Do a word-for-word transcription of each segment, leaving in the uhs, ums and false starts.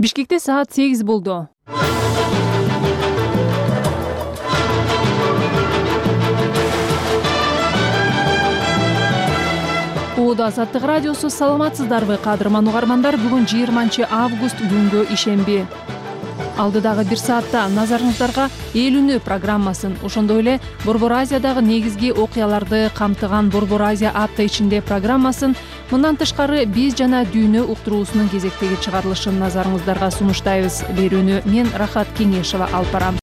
Бишкекте саат сегиз болду. Ууда Азаттык радиосу, саламатсыздарбы кадырман угармандар? Бүгүн жыйырманчы август күнгө ишемби. Алдыдагы бир саатта назарыңыздарга эл үнү программасын, ошондой эле Борбор Азиядагы негизги окуяларды камтыган Борбор Азия апта ичинде программасын, мындан тышкары биз жана дүйнө уктуруусунун кезектеги чыгарылышын назарыңыздарга сунуштайбыз. Берүүнү мен Рахат Кеңешова алып барам.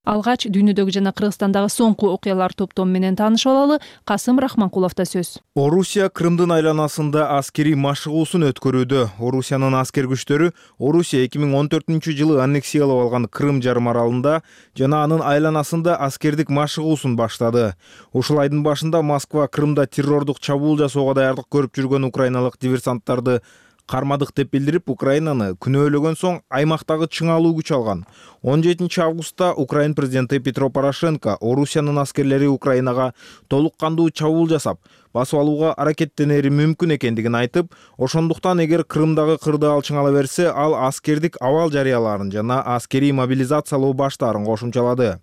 Алгач дүйнөдөгү жана Кыргызстандагы соңку окуялар топтому менен таанышып алалы. Касым Рахманкуловдо сөз. Орусия Крымдын айланасында аскерий машыгуусун өткөрүүдө. Орусиянын аскер күчтөрү Орусия эки миң он төртүнчү жылы аннексиялап алган Крым жарым аралында жана анын айланасында аскердик машыгуусун баштады. Ушул айдын башында Москва Крымда террордук чабуул жасоого даярдык көрүп жүргөн украиналык диверсанттарды кармадык деп билдирип, Украинаны күнөөлөгөн соң аймактагы чыңалуу күч алган. он жетинчи августта Украин президенти Петро Порошенко Орусиянын аскерлери Украинага толук кандуу чабуул жасап, басып алууга аракеттенери мүмкүн экендигин айтып, ошондуктан эгер Крымдагы кырды ал чыңала берсе, ал аскердик абал жарыялаарын жана аскерий мобилизациялоо баштаарын кошумчалады.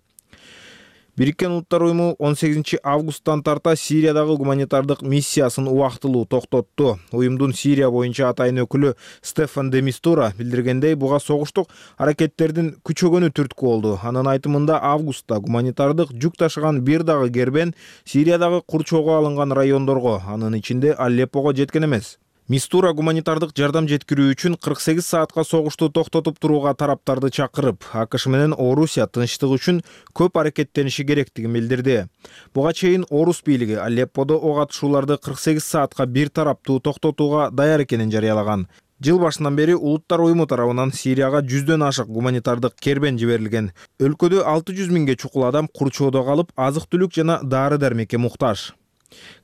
Бириккен Улуттар уюму он сегизинчи августтан тарта Сириядагы гуманитардык миссиясын убактылуу токтотту. Уюмдун Сирия боюнча атайын өкүлү Стефан де Мистура билдиргендей, буга согуштук аракеттердин күчөгөнү түрткү болду. Анын айтымында августта гуманитардык жүк ташыган бир дагы кербен Сириядагы курчоого алынган райондорго, анын ичинде Алеппого жеткен эмес. Мистура гуманитардык жардам жеткирүү үчүн кырк сегиз саатка согушту токтотуп турууга тараптарды чакырып, АКШ менен Орусия тынчтык үчүн көп аракеттениши керектигин билдирди. Буга чейин Орус бийлиги Алепподо ок атышууларды кырк сегиз саатка бир тараптуу токтотууга даяр экенин жарыялаган. Жыл башынан бери Улуттар уюму тарабынан Сирияга жүздөн ашык гуманитардык кербен жиберилген. Өлкөдө алты жүз миңге чукул адам курчоодо калып, азык-түлүк жана дары-дармекке муктаж.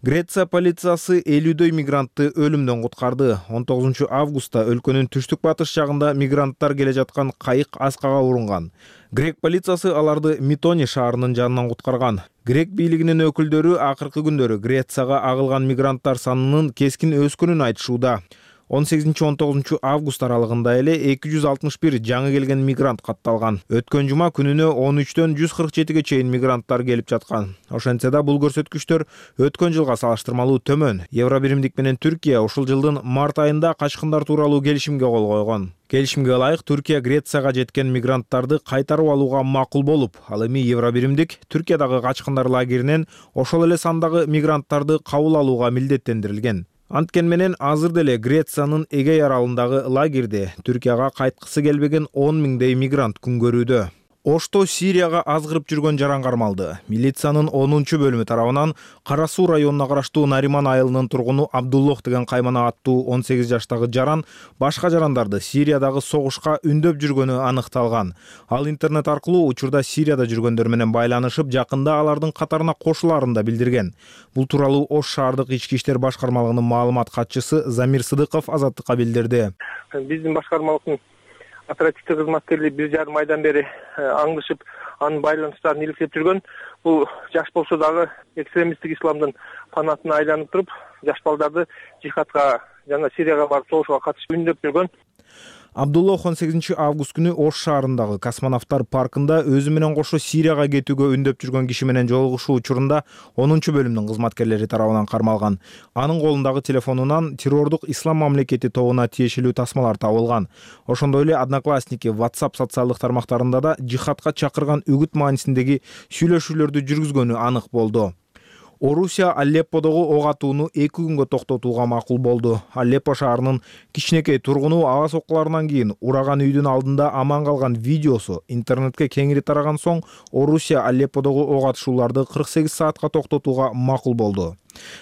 Греция полициясы элүүдөй мигрантты өлүмдөн куткарды. он тогузунчу августта өлкөнүн түштүк батыш жагында мигранттар келе жаткан кайык аскага урунган. Грек полициясы аларды Митони шаарынын жанынан куткарган. Грек бийлигинин өкүлдөрү акыркы күндөрү Грецияга агылган мигранттар санынын кескин өскөнүн айтышууда. он сегизинчи он тогузунчу август аралыгында эле эки жүз алтымыш бир жаңы келген мигрант катталган. Өткөн жума күнүнө он үчтөн жүз кырк жетиге чейин мигранттар келип жаткан. Ошентсе да бул көрсөткүчтөр өткөн жылга салыштырмалуу төмөн. Евробиримдик менен Түркия ушул жылдын март айында качкындар тууралуу келишимге кол койгон. Келишимге ылайык Түркия Грецияга жеткен мигранттарды кайтарып алууга макул болуп, ал эми Евробиримдик Түркиядагы качкындар лагеринен ошол эле сандагы мигранттарды кабыл алууга милдеттендирилген. Анткен менен азыр деле Грециянын Эгей аралындагы лагерде Түркияга кайткысы келбеген он миңдей мигрант күн көрүүдө. Ошто Сирияга азгырып жүргөн жаран кармалды. Милициянын онунчу бөлүмү тарабынан Кара Суу районуна караштуу Нариман айылынын тургуну Абдуллох деген каймана аттуу он сегиз жаштагы жаран башка жарандарды Сириядагы согушка үндөп жүргөнү аныкталган. Ал интернет аркылуу учурда Сирияда жүргөндөр менен байланышып, жакында алардын катарына кошулаарын да билдирген. Бул тууралуу Ош шаардык ички иштер башкармалыгынын маалымат катчысы Замир Сыдыков Азаттыкка билдирди. Биздин башкармалыктын оперативдик кызматкерлери бир жарым айдан бери аңдышып, анын байланыштарын иликтеп жүргөн. Бул жаш болсо дагы экстремисттик исламдын фанатына айланып туруп, жаш балдарды жихадка жана Сирияга барып согушууга катышып үндөп жүргөн. Абдуллох он сегизинчи август күнү Ош шаарындагы Космонавттар паркында өзү менен кошо Сирияга кетүүгө үндөп жүргөн киши менен жолугушуу учурунда онунчу бөлүмдүн кызматкерлери тарабынан кармалган. Анын колундагы телефонунан террордук ислам мамлекети тобуна тиешелүү тасмалар табылган. Ошондой эле Одноклассники, WhatsApp социалдык тармактарында да жихадка чакырган үгүт маанисиндеги сүйлөшүүлөрдү жүргүзгөнү анык болду. Орусия Алепподогу ок атууну эки күнгө токтотууга макул болду. Алеппо шаарынын кичинекей тургуну аба соккуларынан кийин ураган үйдүн алдында аман калган видеосу интернетке кеңири тараган соң Орусия Алепподогу ок атышууларды кырк сегиз саатка токтотууга макул болду.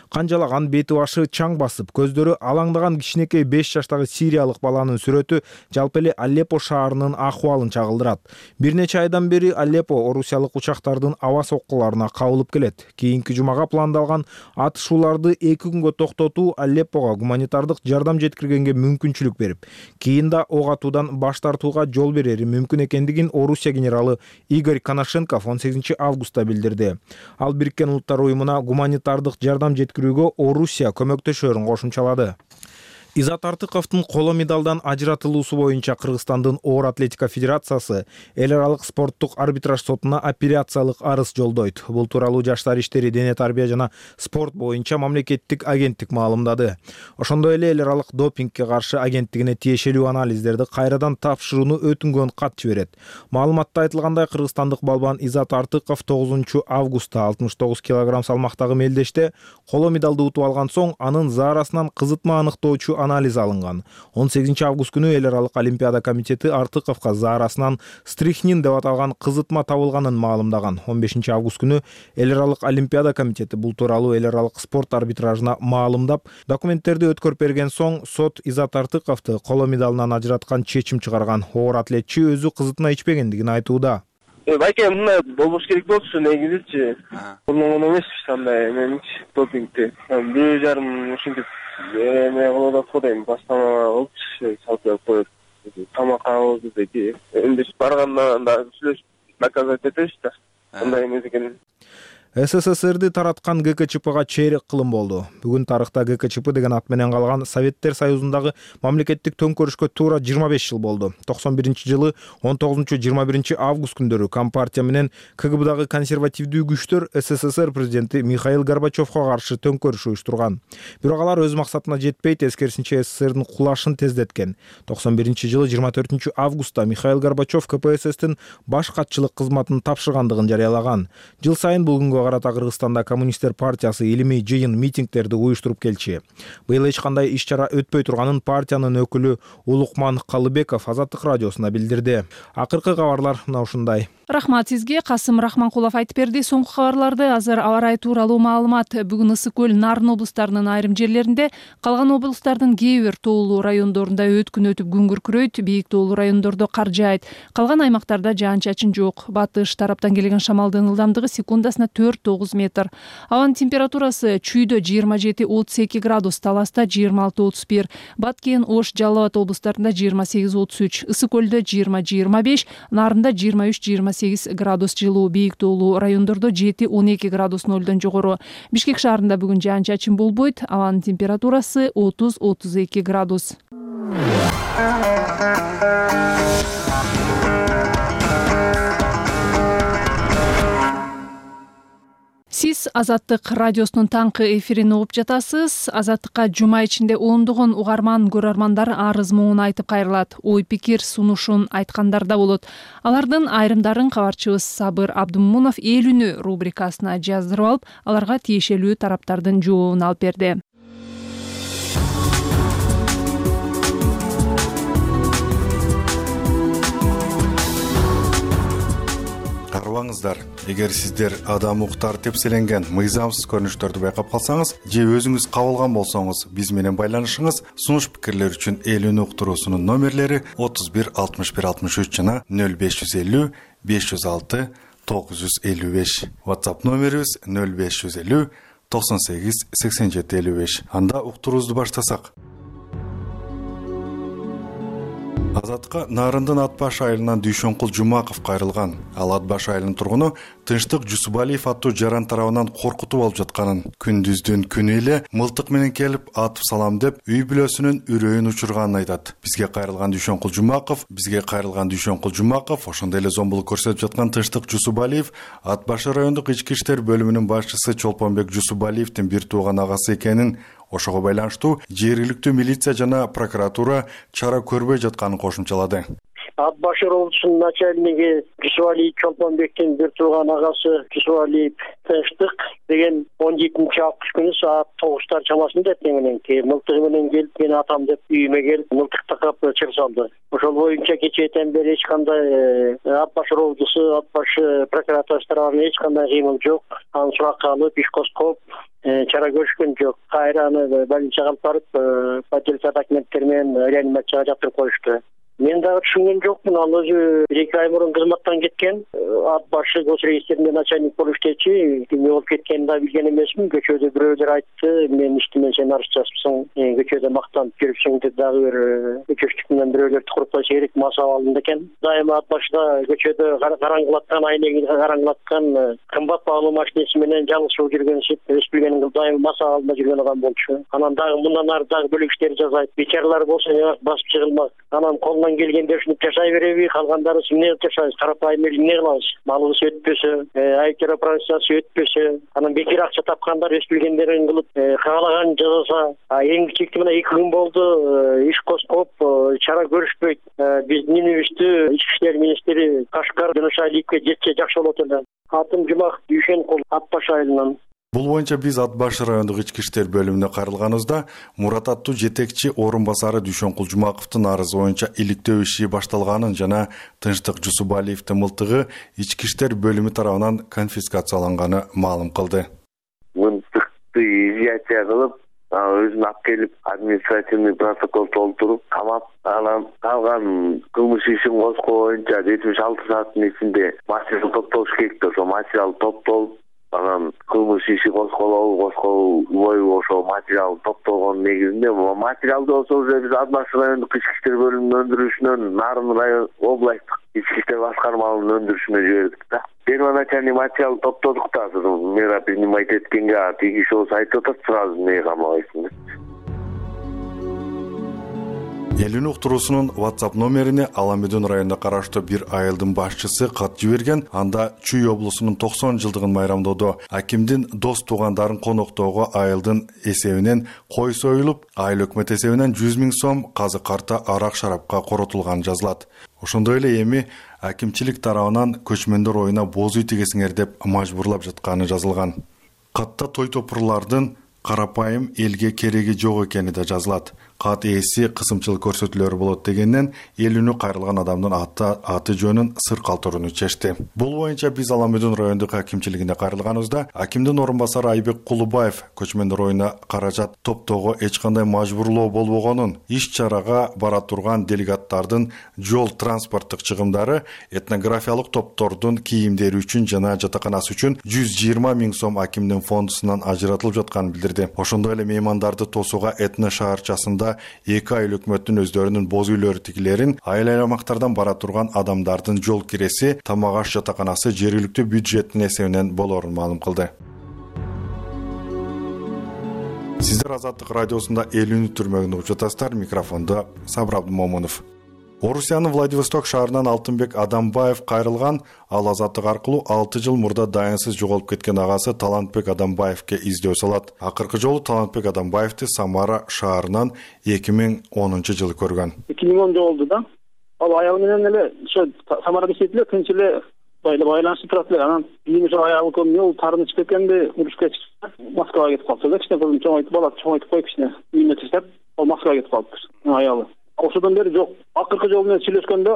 Канжалаган бети башы чаң басып, көздөрү алаңдаган кичинекей беш жаштагы сириялык баланын сүрөтү жалпы эле Алеппо шаарынын акыбалын чагылдырат. Бир нече айдан бери Алеппо орусиялык учактардын аба соккуларына кабылып келет. Кийинки жумага пландалган атышууларды эки күнгө токтотуу Алеппого гуманитардык жардам жеткиргенге мүмкүнчүлүк берип, кийин да ок атуудан баш тартууга жол берери мүмкүн экендигин Орусия генералы Игорь Коношенков он сегизинчи августта билдирди. Ал Бириккен Улуттар уюмуна гуманитардык жардам жеткирүүгө Орусия көмөктөшөрүн кошумчалады. Изат Артыковдун коло медалдан ажыратылуусу боюнча Кыргызстандын оор атлетика федерациясы эл аралык спорттук арбитраж сотуна апелляциялык арыз жолдойт. Бул тууралуу Жаштар иштери, дене тарбия жана спорт боюнча мамлекеттик агенттик маалымдады. Ошондой эле эл аралык допингке каршы агенттигине тиешелүү анализдерди кайрадан тапшырууну өтүнгөн кат жиберет. Маалыматта айтылгандай, кыргызстандык балбан Изат Артыков тогузунчу августта алтымыш тогуз килограмм салмактагы мелдеште коло медалды утуп алган соң анын заарасынан кызытма аныктоочу анализ алынган. он сегизинчи август күнү эл аралык олимпиада комитети Артыковго заарасынан стрихнин деп аталган кызытма табылганын маалымдаган. он бешинчи август күнү эл аралык олимпиада комитети бул тууралуу эл аралык спорт арбитражына маалымдап, документтерди өткөрүп берген соң сот Изат Артыковду коло медалынан ажыраткан чечим чыгарган. Оор атлетчи өзү кызытма ичпегендигин айтууда. Байке, мына болбош керек болчу негизичи. Муну эмеспи андай меничи допингти. бир жарым ушинтип эме кылып атат дейм, бастама болчу, сатып коюп, тамак алып деди. Эндеш барганда да сүйлөшүп наказать этебиз да. Андай эмес экен. СССРди тараткан ГКЧПга чейрек кылым болду. Бүгүн тарыхта ГКЧП деген ат менен калган Советтер Союзундагы мамлекеттик төңкөрүшкө туура жыйырма беш жыл болду. токсон биринчи жылы он тогузунчу жыйырма биринчи август күндөрү Компартия менен КГБдагы консервативдүү күчтөр СССР президенти Михаил Горбачевго каршы төңкөрүш уюштурган. Бирок алар өз максатына жетпей, тескерисинче СССРдин кулашын тездеткен. токсон биринчи жылы жыйырма төртүнчү августта Михаил Горбачев КПССтин баш катчылык кызматын тапшыргандыгын жарыялаган. Жыл сайын бул күнгө карата Кыргызстанда коммунисттер партиясы илимий жыйын, митингдерди уюштуруп келчи. Быйыл эч кандай иш-чара өтпөй турганын партиянын өкүлү Улукман Калыбеков Азаттык радиосуна билдирди. Акыркы кабарлар мына ушундай. Рахмат сизге. Касым Рахманкулов айтып берди. Соңку кабарларды азыр аба ырайы тууралуу маалымат. Бүгүн Ысык көл, Нарын облустарынын айрым жерлеринде, калган облустардын кээ бир тоолуу райондорунда өткүн өтүп күн күркүрөйт, бийик тоолуу райондордо кар жаайт. Калган аймактарда жаан-чачын жок. Батыш тараптан келген шамалдын ылдамдыгы секундасына төрт тогуз метр. Абанын температурасы чүйдө жыйырма жети отуз эки градус, Таласта жыйырма алты отуз бир, Баткен, Ош, Жалал Абад облустарында жыйырма сегиз отуз үч, Ысык көлдө жыйырма жыйырма беш, Нарында жыйырма үч жыйырма сегиз градус жылуу, бийик тоолуу райондордо жети он эки градус нолдон жогору. Бишкек шаарында бүгүн жаан-чачын болбойт. Абанын температурасы отуз отуз эки градус. Сиз Азаттык радиосунун таңкы эфирин угуп жатасыз. Азаттыкка жума ичинде ондогон угарман, көрөрмандар арыз муун айтып кайрылат. Ой пикир сунушун айткандар да болот. Алардын айрымдарын кабарчыбыз Сабыр Абдымунов Эл үнү рубрикасына жаздырып алып, аларга тиешелүү тараптардын жообун алып берди. Карабаңыздар, эгер сиздер адам укуктары тепселенген мыйзамсыз көрүнүштөрдү байкап калсаңыз же өзүңүз кабылган болсоңуз, биз менен байланышыңыз. Сунуш пикирлер үчүн Эл үнү уктуруусунун номерлери отуз бир алтымыш бир алтымыш үч жана нөл беш жүз элүү беш жүз алты тогуз жүз элүү беш. WhatsApp номерибиз нөл беш жүз элүү токсон сегиз сексен жети элүү беш. Анда уктуруубузду баштасак. Азатка Нарындын Ат баш айылынан Дүйшөнкул Жумаков кайрылган. Ал Ат баш айылынын тургуну Тынчтык Жусубалиев аттуу жаран тарабынан коркутуп алып жатканын, күндүздүн күнү эле мылтык менен келип атып салам деп үй бүлөсүнүн үрөйүн учурганын айтат. Бизге кайрылган Дүйшөнкул Жумаков, бизге кайрылган Дүйшөнкул Жумаков, ошондой эле зомбулук көрсөтүп жаткан Тынчтык Жусубалиев Ат баш райондук ички иштер бөлүмүнүн башчысы Чолпонбек Жусубалиевдин бир тууган агасы экенин, ошого байланыштуу жергиликтүү милиция жана прокуратура чара көрбөй жатканын кошумчалады. Ат баш облусунун начальниги Жусубалиев Чолпонбектин бир тууган агасы Жусубалиев Тынчтык деген он жетинчи август күнү саат тогуздар чамасында теңененки мылтыгы менен келип, мен атам деп үйүмө келип мылтык такап чыгып салды. Ошол боюнча кечээден бери эч кандай Ат баш облусу, Ат баш прокуратурасы тарабынан эч кандай кыймыл жок. Аны суракка алып, иш козгоп чара көрүшкөн жок. Кайра аны больницага алып барып, поддельный документтер менен реанимацияга жатырып коюшту. Мен дагы түшүнгөн жокмун. Ал өзү бир эки ай мурун кызматтан кеткен. Ат башы гос рейстеринде начальник болуп иштечи. Кимге болуп кеткенин да билген эмесмин. Көчөдө бирөөлөр айтты, мен иштимен сен арыз жазыпсың, көчөдө мактанып жүрүпсүң деп дагы бир көчөчтүк менен бирөөлөрдү куруппайса керек мас абалында экен. Дайыма ат башыда көчөдө караңгылаткан, айнеги караңгылаткан, кымбат баалуу машинеси менен жалгыз жүргөнсүп, эс билгенин дайыма мас абалында жүргөн адам болчу. Анан дагы мындан ары дагы бөлөк иштер жасайт. Бечаралар болсо басып чыгылмак. Анан колунан келгенде ушинтип жашай береби? Калгандары эмне кылып жашайбыз? Карапайым эл эмне кылабыз? Малыбыз өтпөсө, айыптар операциясы өтпөсө, анан бекер акча тапкандар эс билгендерин кылып каалаган жасаса, эң кичикти мына эки күн болду иш козгоп, чара көрүшпөйт. Биздин үнүбүздү ички иштер министри Кашкар Жөнөшалиевге жетсе жакшы болот эле. Атым Жумак Дүйшенкул, Ат баш айылынан. Бул боюнча биз Ат баш райондук ички иштер бөлүмүнө кайрылганыбызда Мурат аттуу жетекчи орун басары Дүйшенкул Жумаковдун арызы боюнча иликтөө иши башталганын жана Тынчтык Жусубалиевдин мылтыгы ички иштер бөлүмү тарабынан конфискацияланганы маалым кылды. Мылтыкты изъятия кылып, өзүн алып келип административный протокол толтуруп камап, анан калган кылмыш ишин козгоо боюнча жетимиш алты сааттын ичинде материал топтолуш керек да, ошо материал топтолуп, анан кылмыш иши козголобу, козголбойбу ошо материал топтолгон негизинде материалды болсо уже биз Ат баш райондук ички иштер бөлүмүнүн өндүрүшүнөн Нарын район областтык ички иштер башкармалыгынын өндүрүшүнө жибердик да. Первоначальный материал топтодук да, мера принимать эткенге тиги киши болсо айтып атат, сразу эмнеге камабайсың деп. Элүүнү уктуруусунун WhatsApp номерине Аламедон районуна караштуу бир айылдын башчысы кат жиберген. Анда Чүй облусунун токсон жылдыгын майрамдоодо акимдин дос туугандарын коноктоого айылдын эсебинен кой союлуп, айыл өкмөт эсебинен жүз миң сом казык карта арак шарапка коротулганы жазылат. Ошондой эле эми акимчилик тарабынан көчмөндөр оюна боз үй тигесиңер деп мажбурлап жатканы жазылган. Катта той топурлардын карапайым элге кереги жок экени да жазылат. Кат ээси кысымчылык көрсөтүүлөрү болот дегенден элүүнү кайрылган адамдын аты аты жөнүн сыр калтырууну чечти. Бул боюнча биз Аламедон райондук акимчилигине кайрылганыбызда акимдин орун басары Айбек Кулубаев көчмөндөр оюна каражат топтоого эч кандай мажбурлоо болбогонун, иш-чарага бара турган делегаттардын жол транспорттук чыгымдары этнографиялык топтордун кийимдери үчүн жана жатаканасы үчүн жүз жыйырма миң сом акимдин фондусунан ажыратылып жатканын билдирди. Ошондой эле меймандарды тосууга Этно шаарчасында эки айыл өкмөттүн өздөрүнүн боз үйлөрү тигилерин, айыл аймактардан бара турган адамдардын жол киреси, тамак аш жатаканасы жергиликтүү бюджеттин эсебинен болорун маалым кылды. Сиздер Азаттык радиосунда элүүнү түрмөгүндө угуп жатасыздар. Микрофондо Сабыр Абдымомунов. Орусиянын Владивосток шаарынан Алтынбек Адамбаев кайрылган. Ал Азаттык аркылуу алты жыл мурда дайынсыз жоголуп кеткен агасы Талантбек Адамбаевке издөө салат. Акыркы жолу Талантбек Адамбаевди Самара шаарынан эки миң онунчу жылы көргөн. эки миң онда болду да. Ал аягы менен эле ошо Самарада иштейт эле, тынч эле байланышып турат эле. Анан кийин ошо аягы көмүл тарынып кеткенде урушка чыкты. Москвага кетип калды да. Кичине кызым чоңойтуп бала чоңойтуп коюп кичине үйүнө таштап, ал Москвага кетип калды. Аягы. Ошодон бери жок. Акыркы жолу менен сүйлөшкөндө,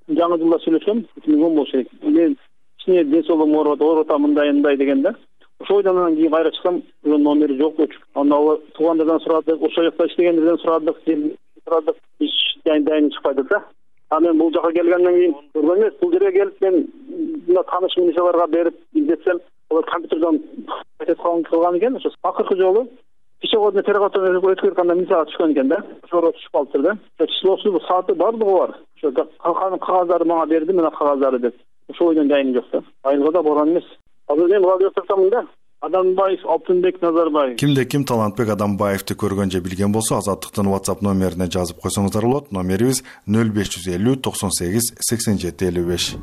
жаңы жылда сүйлөшкөм, эки миң он болуш керек. Мен кичине ден соолугум ооруп атам, мындай мындай дегенде, ошо ойдон кийин кайра чыксам, ошонун номери жок болчу. Анда ал туугандардан сурадык, ошол жакта иштегендерден сурадык, сурадык, иш дайын чыкпайды да. А мен бул жака келгенден кийин көргөн эмес, бул жерге келип мен мына тааныш милицияларга берип издетсем, алар компьютерден кылган экен. Ошо акыркы жолу пешеходный переход өткөргөндө милицияга түшкөн экен да. Ошого түшүп калыптыр да. Числосу, сааты бардыгы бар. Ошо кагаздарды мага берди, мына кагаздары деп. Ошо ойдон жайым жок да. Айылга да барган эмес. Азыр мен Владивостоктомун да. Адамбаев Алтынбек Назарбаев. Кимде ким Талантбек Адамбаевди көргөн же билген болсо, Азаттыктын WhatsApp номерине жазып койсоңуздар болот. Номерибиз нөл беш жүз элүү токсон сегиз сексен жети элүү беш.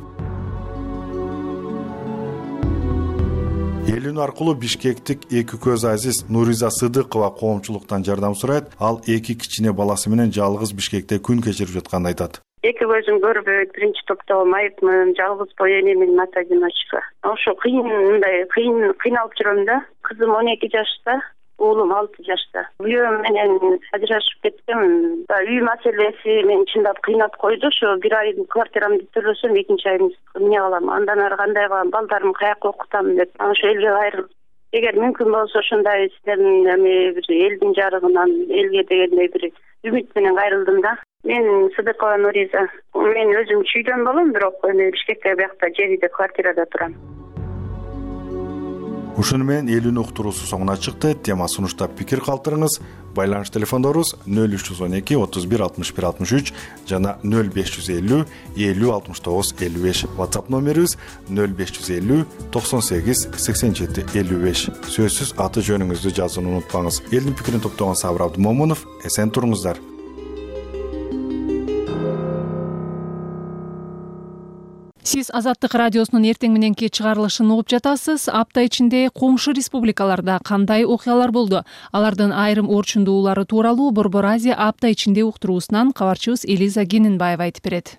Элүүнү аркылуу Бишкектик эки көз азиз Нуриза Сыдыкова коомчулуктан жардам сурайт. Ал эки кичине баласы менен жалгыз Бишкекте күн кечирип жатканын айтат. Эки көзүм көрбөйт, биринчи топто майыпмын, жалгыз бой энемин мата-одиночка. Ошо кыйын, мындай кыйын кыйналып жүрөм да. Кызым он эки жашта, уулум алты жашта. Күйөөм менен ажырашып кеттим. Үй маселеси мени чындап кыйнап койду. Ошо бир ай квартирамды төлөсөм, экинчи айын эмне кылам? Андан ары кандай кылам? Балдарымды каяка окутам деп. Ошо элге кайрылып, эгер мүмкүн болсо ошондой силердин эми бир элдин жарыгынан элге дегендей бир үмүт менен кайрылдым да. Мен Сыдыкова Нуриза. Мен өзүм чүйдөн болом, бирок эми Бишкекте биякта жерде квартирада турам. Ушуну менен элүүнү уктуруусу соңуна чыкты. Тема сунуштап пикир калтырыңыз. Байланыш телефондорубуз нөл үч жүз он эки отуз бир алтымыш бир алтымыш үч жана нөл беш жүз элүү элүү алтымыш тогуз элүү беш. WhatsApp номерибиз нөл беш жүз элүү токсон сегиз сексен жети элүү беш. Сөзсүз аты жөнүңүздү жазууну унутпаңыз. Элдин пикирин топтогон Сабыр Абдымомунов. Эсен туруңуздар. Сиз Азаттык радиосунун эртең мененки чыгарылышын угуп жатасыз. Апта ичинде коңшу республикаларда кандай окуялар болду? Алардын айрым орчундуулары тууралуу Борбор Азия апта ичинде уктуруусунан кабарчыбыз Элиза Кененбаева айтып берет.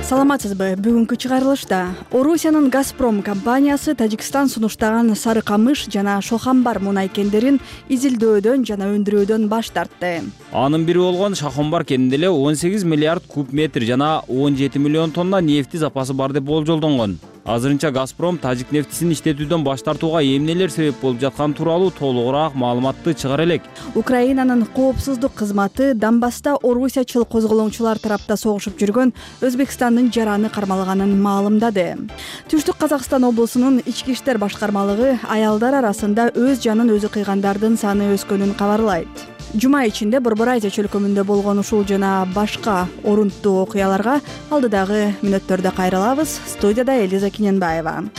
Саламатсызбы? Бүгүнкү чыгарылышта Орусиянын Газпром компаниясы Тажикстан сунуштаган Сары Камыш жана Шохамбар мунай кендерин изилдөөдөн жана өндүрүүдөн баш тартты. Анын бири болгон Шохамбар кенинде эле он сегиз миллиард куб метр жана он жети миллион тонна нефти запасы бар деп болжолдонгон. Азырынча Газпром тажик нефтисин иштетүүдөн баш тартууга эмнелер себеп болуп жатканы тууралуу толугураак маалыматты чыгара элек. Украинанын коопсуздук кызматы Донбасста орусиячыл козголоңчулар тарапта согушуп жүргөн Өзбекстандын жараны кармалганын маалымдады. Түштүк Казакстан облусунун ички иштер башкармалыгы аялдар арасында өз жанын өзү кыйгандардын саны өскөнүн кабарлайт. Жума ичинде Борбор Азия чөлкөмүндө болгон ушул жана башка орунттуу окуяларга алдыдагы мүнөттөрдө кайрылабыз. Студияда Элиза Кененбаева.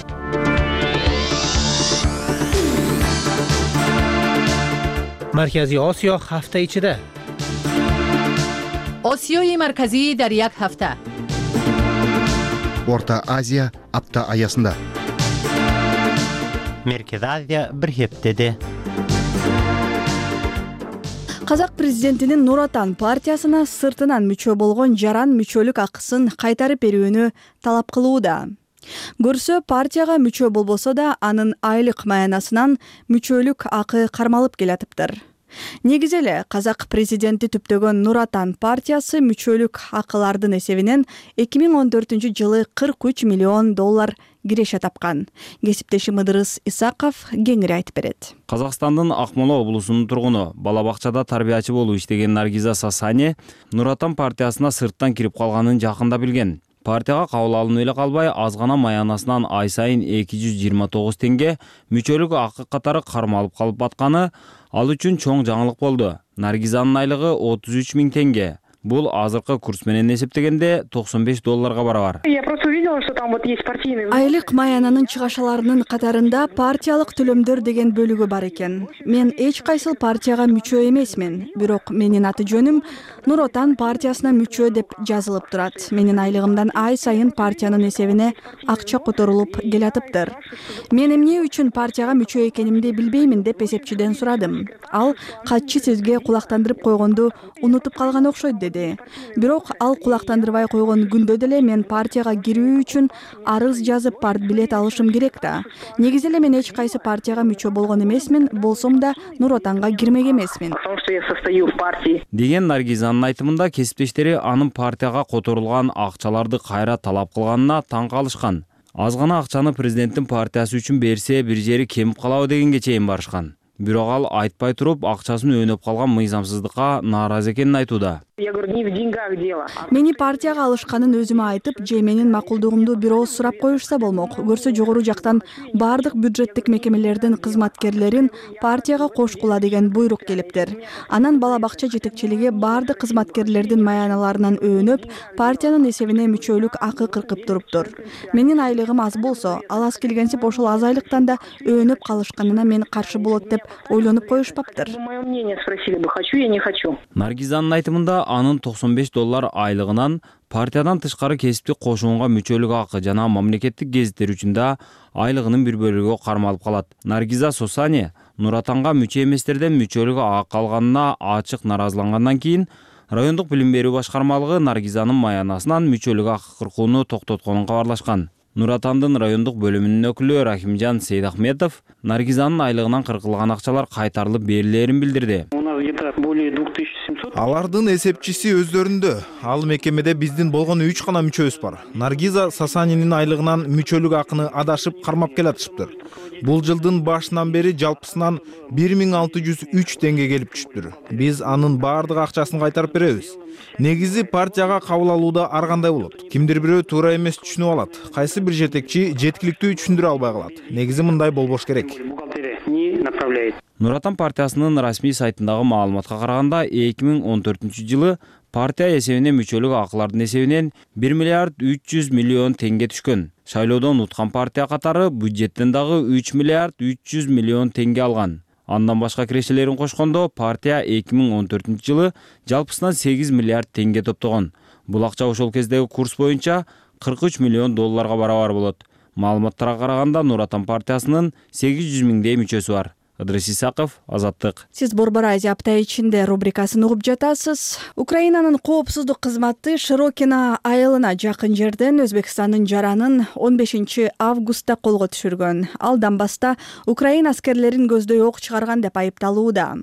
Маркази Осиё ҳафта ичида. Осиёи марказӣ дар як ҳафта. Орта Азия апта аясында. Меркези Азия бир хептеде. Казак президентинин Нур Отан партиясына сыртынан мүчө болгон жаран мүчөлүк акысын кайтарып берүүнү талап кылууда. Көрсө партияга мүчө болбосо да анын айлык маянасынан мүчөлүк акы кармалып келатыптыр. Негизи эле казак президенти түптөгөн Нур Отан партиясы мүчөлүк акылардын эсебинен эки миң он төртүнчү жылы кырк үч миллион доллар киреше тапкан. Кесиптешим Ыдырыс Исаков кеңири айтып берет. Казакстандын Акмола облусунун тургуну, бала бакчада тарбиячы болуп иштеген Наргиза Сасани Нур Отан партиясына сырттан кирип калганын жакында билген. Партияга кабыл алынып эле калбай, аз гана маянасынан ай сайын эки жүз жыйырма тогуз теңге мүчөлүк акы катары кармалып калып атканы ал үчүн чоң жаңылык болду. Наргизанын айлыгы отуз үч миң теңге. Бул азыркы курс менен эсептегенде токсон беш долларга барабар. Айлык маянанын чыгашаларынын катарында партиялык төлөмдөр деген бөлүгү бар экен. Мен эч кайсыл партияга мүчө эмесмин, бирок менин аты жөнүм Нур Отан партиясына мүчө деп жазылып турат. Менин айлыгымдан ай сайын партиянын эсебине акча которулуп келатыптыр. Мен эмне үчүн партияга мүчө экенимди билбеймин деп эсепчиден сурадым. Ал катчы сизге кулактандырып койгонду унутуп калган окшойт деди. Бирок ал кулактандырбай койгон күндө деле мен партияга кирүү үчүн арыз жазып партбилет алышым керек да. Негизи эле мен эч кайсы партияга мүчө болгон эмесмин, болсом да Нур Отанга кирмек эмесмин. Деген Наргизанын айтымында кесиптештери анын партияга которулган акчаларды кайра талап кылганына таң калышкан. Аз гана акчаны президенттин партиясы үчүн берсе бир жери кемип калабы дегенге чейин барышкан. Бирок ал айтпай туруп акчасын өнөп калган мыйзамсыздыкка нааразы экенин айтууда. Мени партияга алышканын өзүмө айтып, же менин макулдугумду бирөөз сурап коюшса болмок. Көрсө жогору жактан бардык бюджеттик мекемелердин кызматкерлерин партияга кошкула деген буйрук келиптир. Анан бала бакча жетекчилиги бардык кызматкерлердин маяналарынан өөнөп, партиянын эсебине мүчөлүк акы кыркып туруптур. Менин айлыгым аз болсо, ал аз келгенсип ошол аз айлыктан да өөнөп калышканына мен каршы болот деп ойлонуп коюшпаптыр. Наргизанын айтымында анын токсон беш доллар айлыгынан партиядан тышкары кесиптик кошуунга мүчөлүк акы жана мамлекеттик гезиттер үчүн да айлыгынын бир бөлүгү кармалып калат. Наргиза Сосани Нур Отанга мүчө эместерден мүчөлүк акы алганына ачык наразылангандан кийин райондук билим берүү башкармалыгы Наргизанын маянасынан мүчөлүк акы кыркууну токтотконун кабарлашкан. Нур Отандын райондук бөлүмүнүн өкүлү Рахимжан Сейдахметов Наргизанын айлыгынан кыркылган акчалар кайтарылып берилерин билдирди. Алардын эсепчиси өздөрүндө. Ал мекемеде биздин болгон үч гана мүчөбүз бар. Наргиза Сасанинин айлыгынан мүчөлүк акыны адашып кармап келатышыптыр. Бул жылдын башынан бери жалпысынан бир миң алты жүз үч теңге келип түшүптүр. Биз анын баардык акчасын кайтарып беребиз. Негизи партияга кабыл алууда ар кандай болот. Кимдир бирөө туура эмес түшүнүп алат. Кайсы бир жетекчи жеткиликтүү түшүндүрө албай калат. Негизи мындай болбош керек. Нур Отан партиясынын расмий сайтындагы маалыматка караганда эки миң он төртүнчү жылы партия эсебине мүчөлүк акылардын эсебинен бир миллиард үч жүз миллион теңге түшкөн. Шайлоодон уткан партия катары бюджеттен дагы үч миллиард үч жүз миллион теңге алган. Андан башка кирешелерин кошкондо партия эки миң он төртүнчү жылы жалпысынан сегиз миллиард теңге топтогон. Бул акча ошол кездеги курс боюнча кырк үч миллион долларга барабар болот. Маалыматтарга караганда Нур Отан партиясынын сегиз жүз миңдей мүчөсү бар. Ыдрис Исаков, Азаттык. Сиз Борбор Азия апта ичинде рубрикасын угуп жатасыз. Украинанын коопсуздук кызматы Широкино айылына жакын жерден Өзбекстандын жаранын он бешинчи августта колго түшүргөн. Алдан баста Украина аскерлерин көздөй ок чыгарган деп айыпталууда.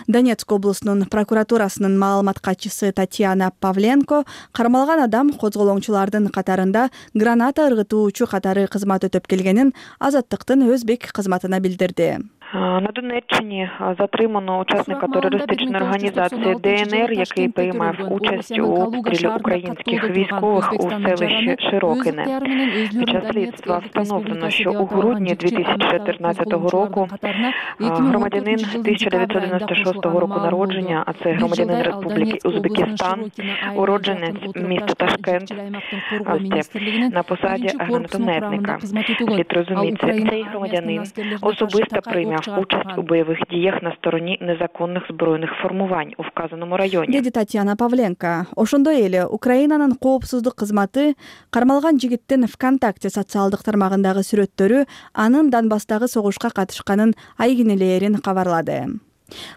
Донецк облусунун прокуратурасынын маалымат катчысы Татьяна Павленко кармалган адам козголоңчулардын катарында граната ыргытуучу катары кызмат өтөп келгенин Азаттыктын өзбек кызматына билдирди. На Донеччині затримано учасника терористичної організації ДНР, який приймав участь у обстрілі українських військових у селищі Широкине. Під час слідства встановлено, що у грудні дві тисячі чотирнадцятого року громадянин тисяча дев'ятсот дев'яносто шостого року народження, а це громадянин Республіки Узбекистан, уродженець міста Ташкент, на посаді гранатометника. Слід розуміти, цей громадянин особисто прийняв участь у бойових діях на стороні незаконних збройних формувань у вказаному районі. Деди Татьяна Павленко. Ошондой эле Украинанын коопсуздук кызматы кармалган жигиттин ВКонтакте социалдык тармагындагы сүрөттөрү анын Донбасстагы согушка катышканын айгинелерин кабарлады.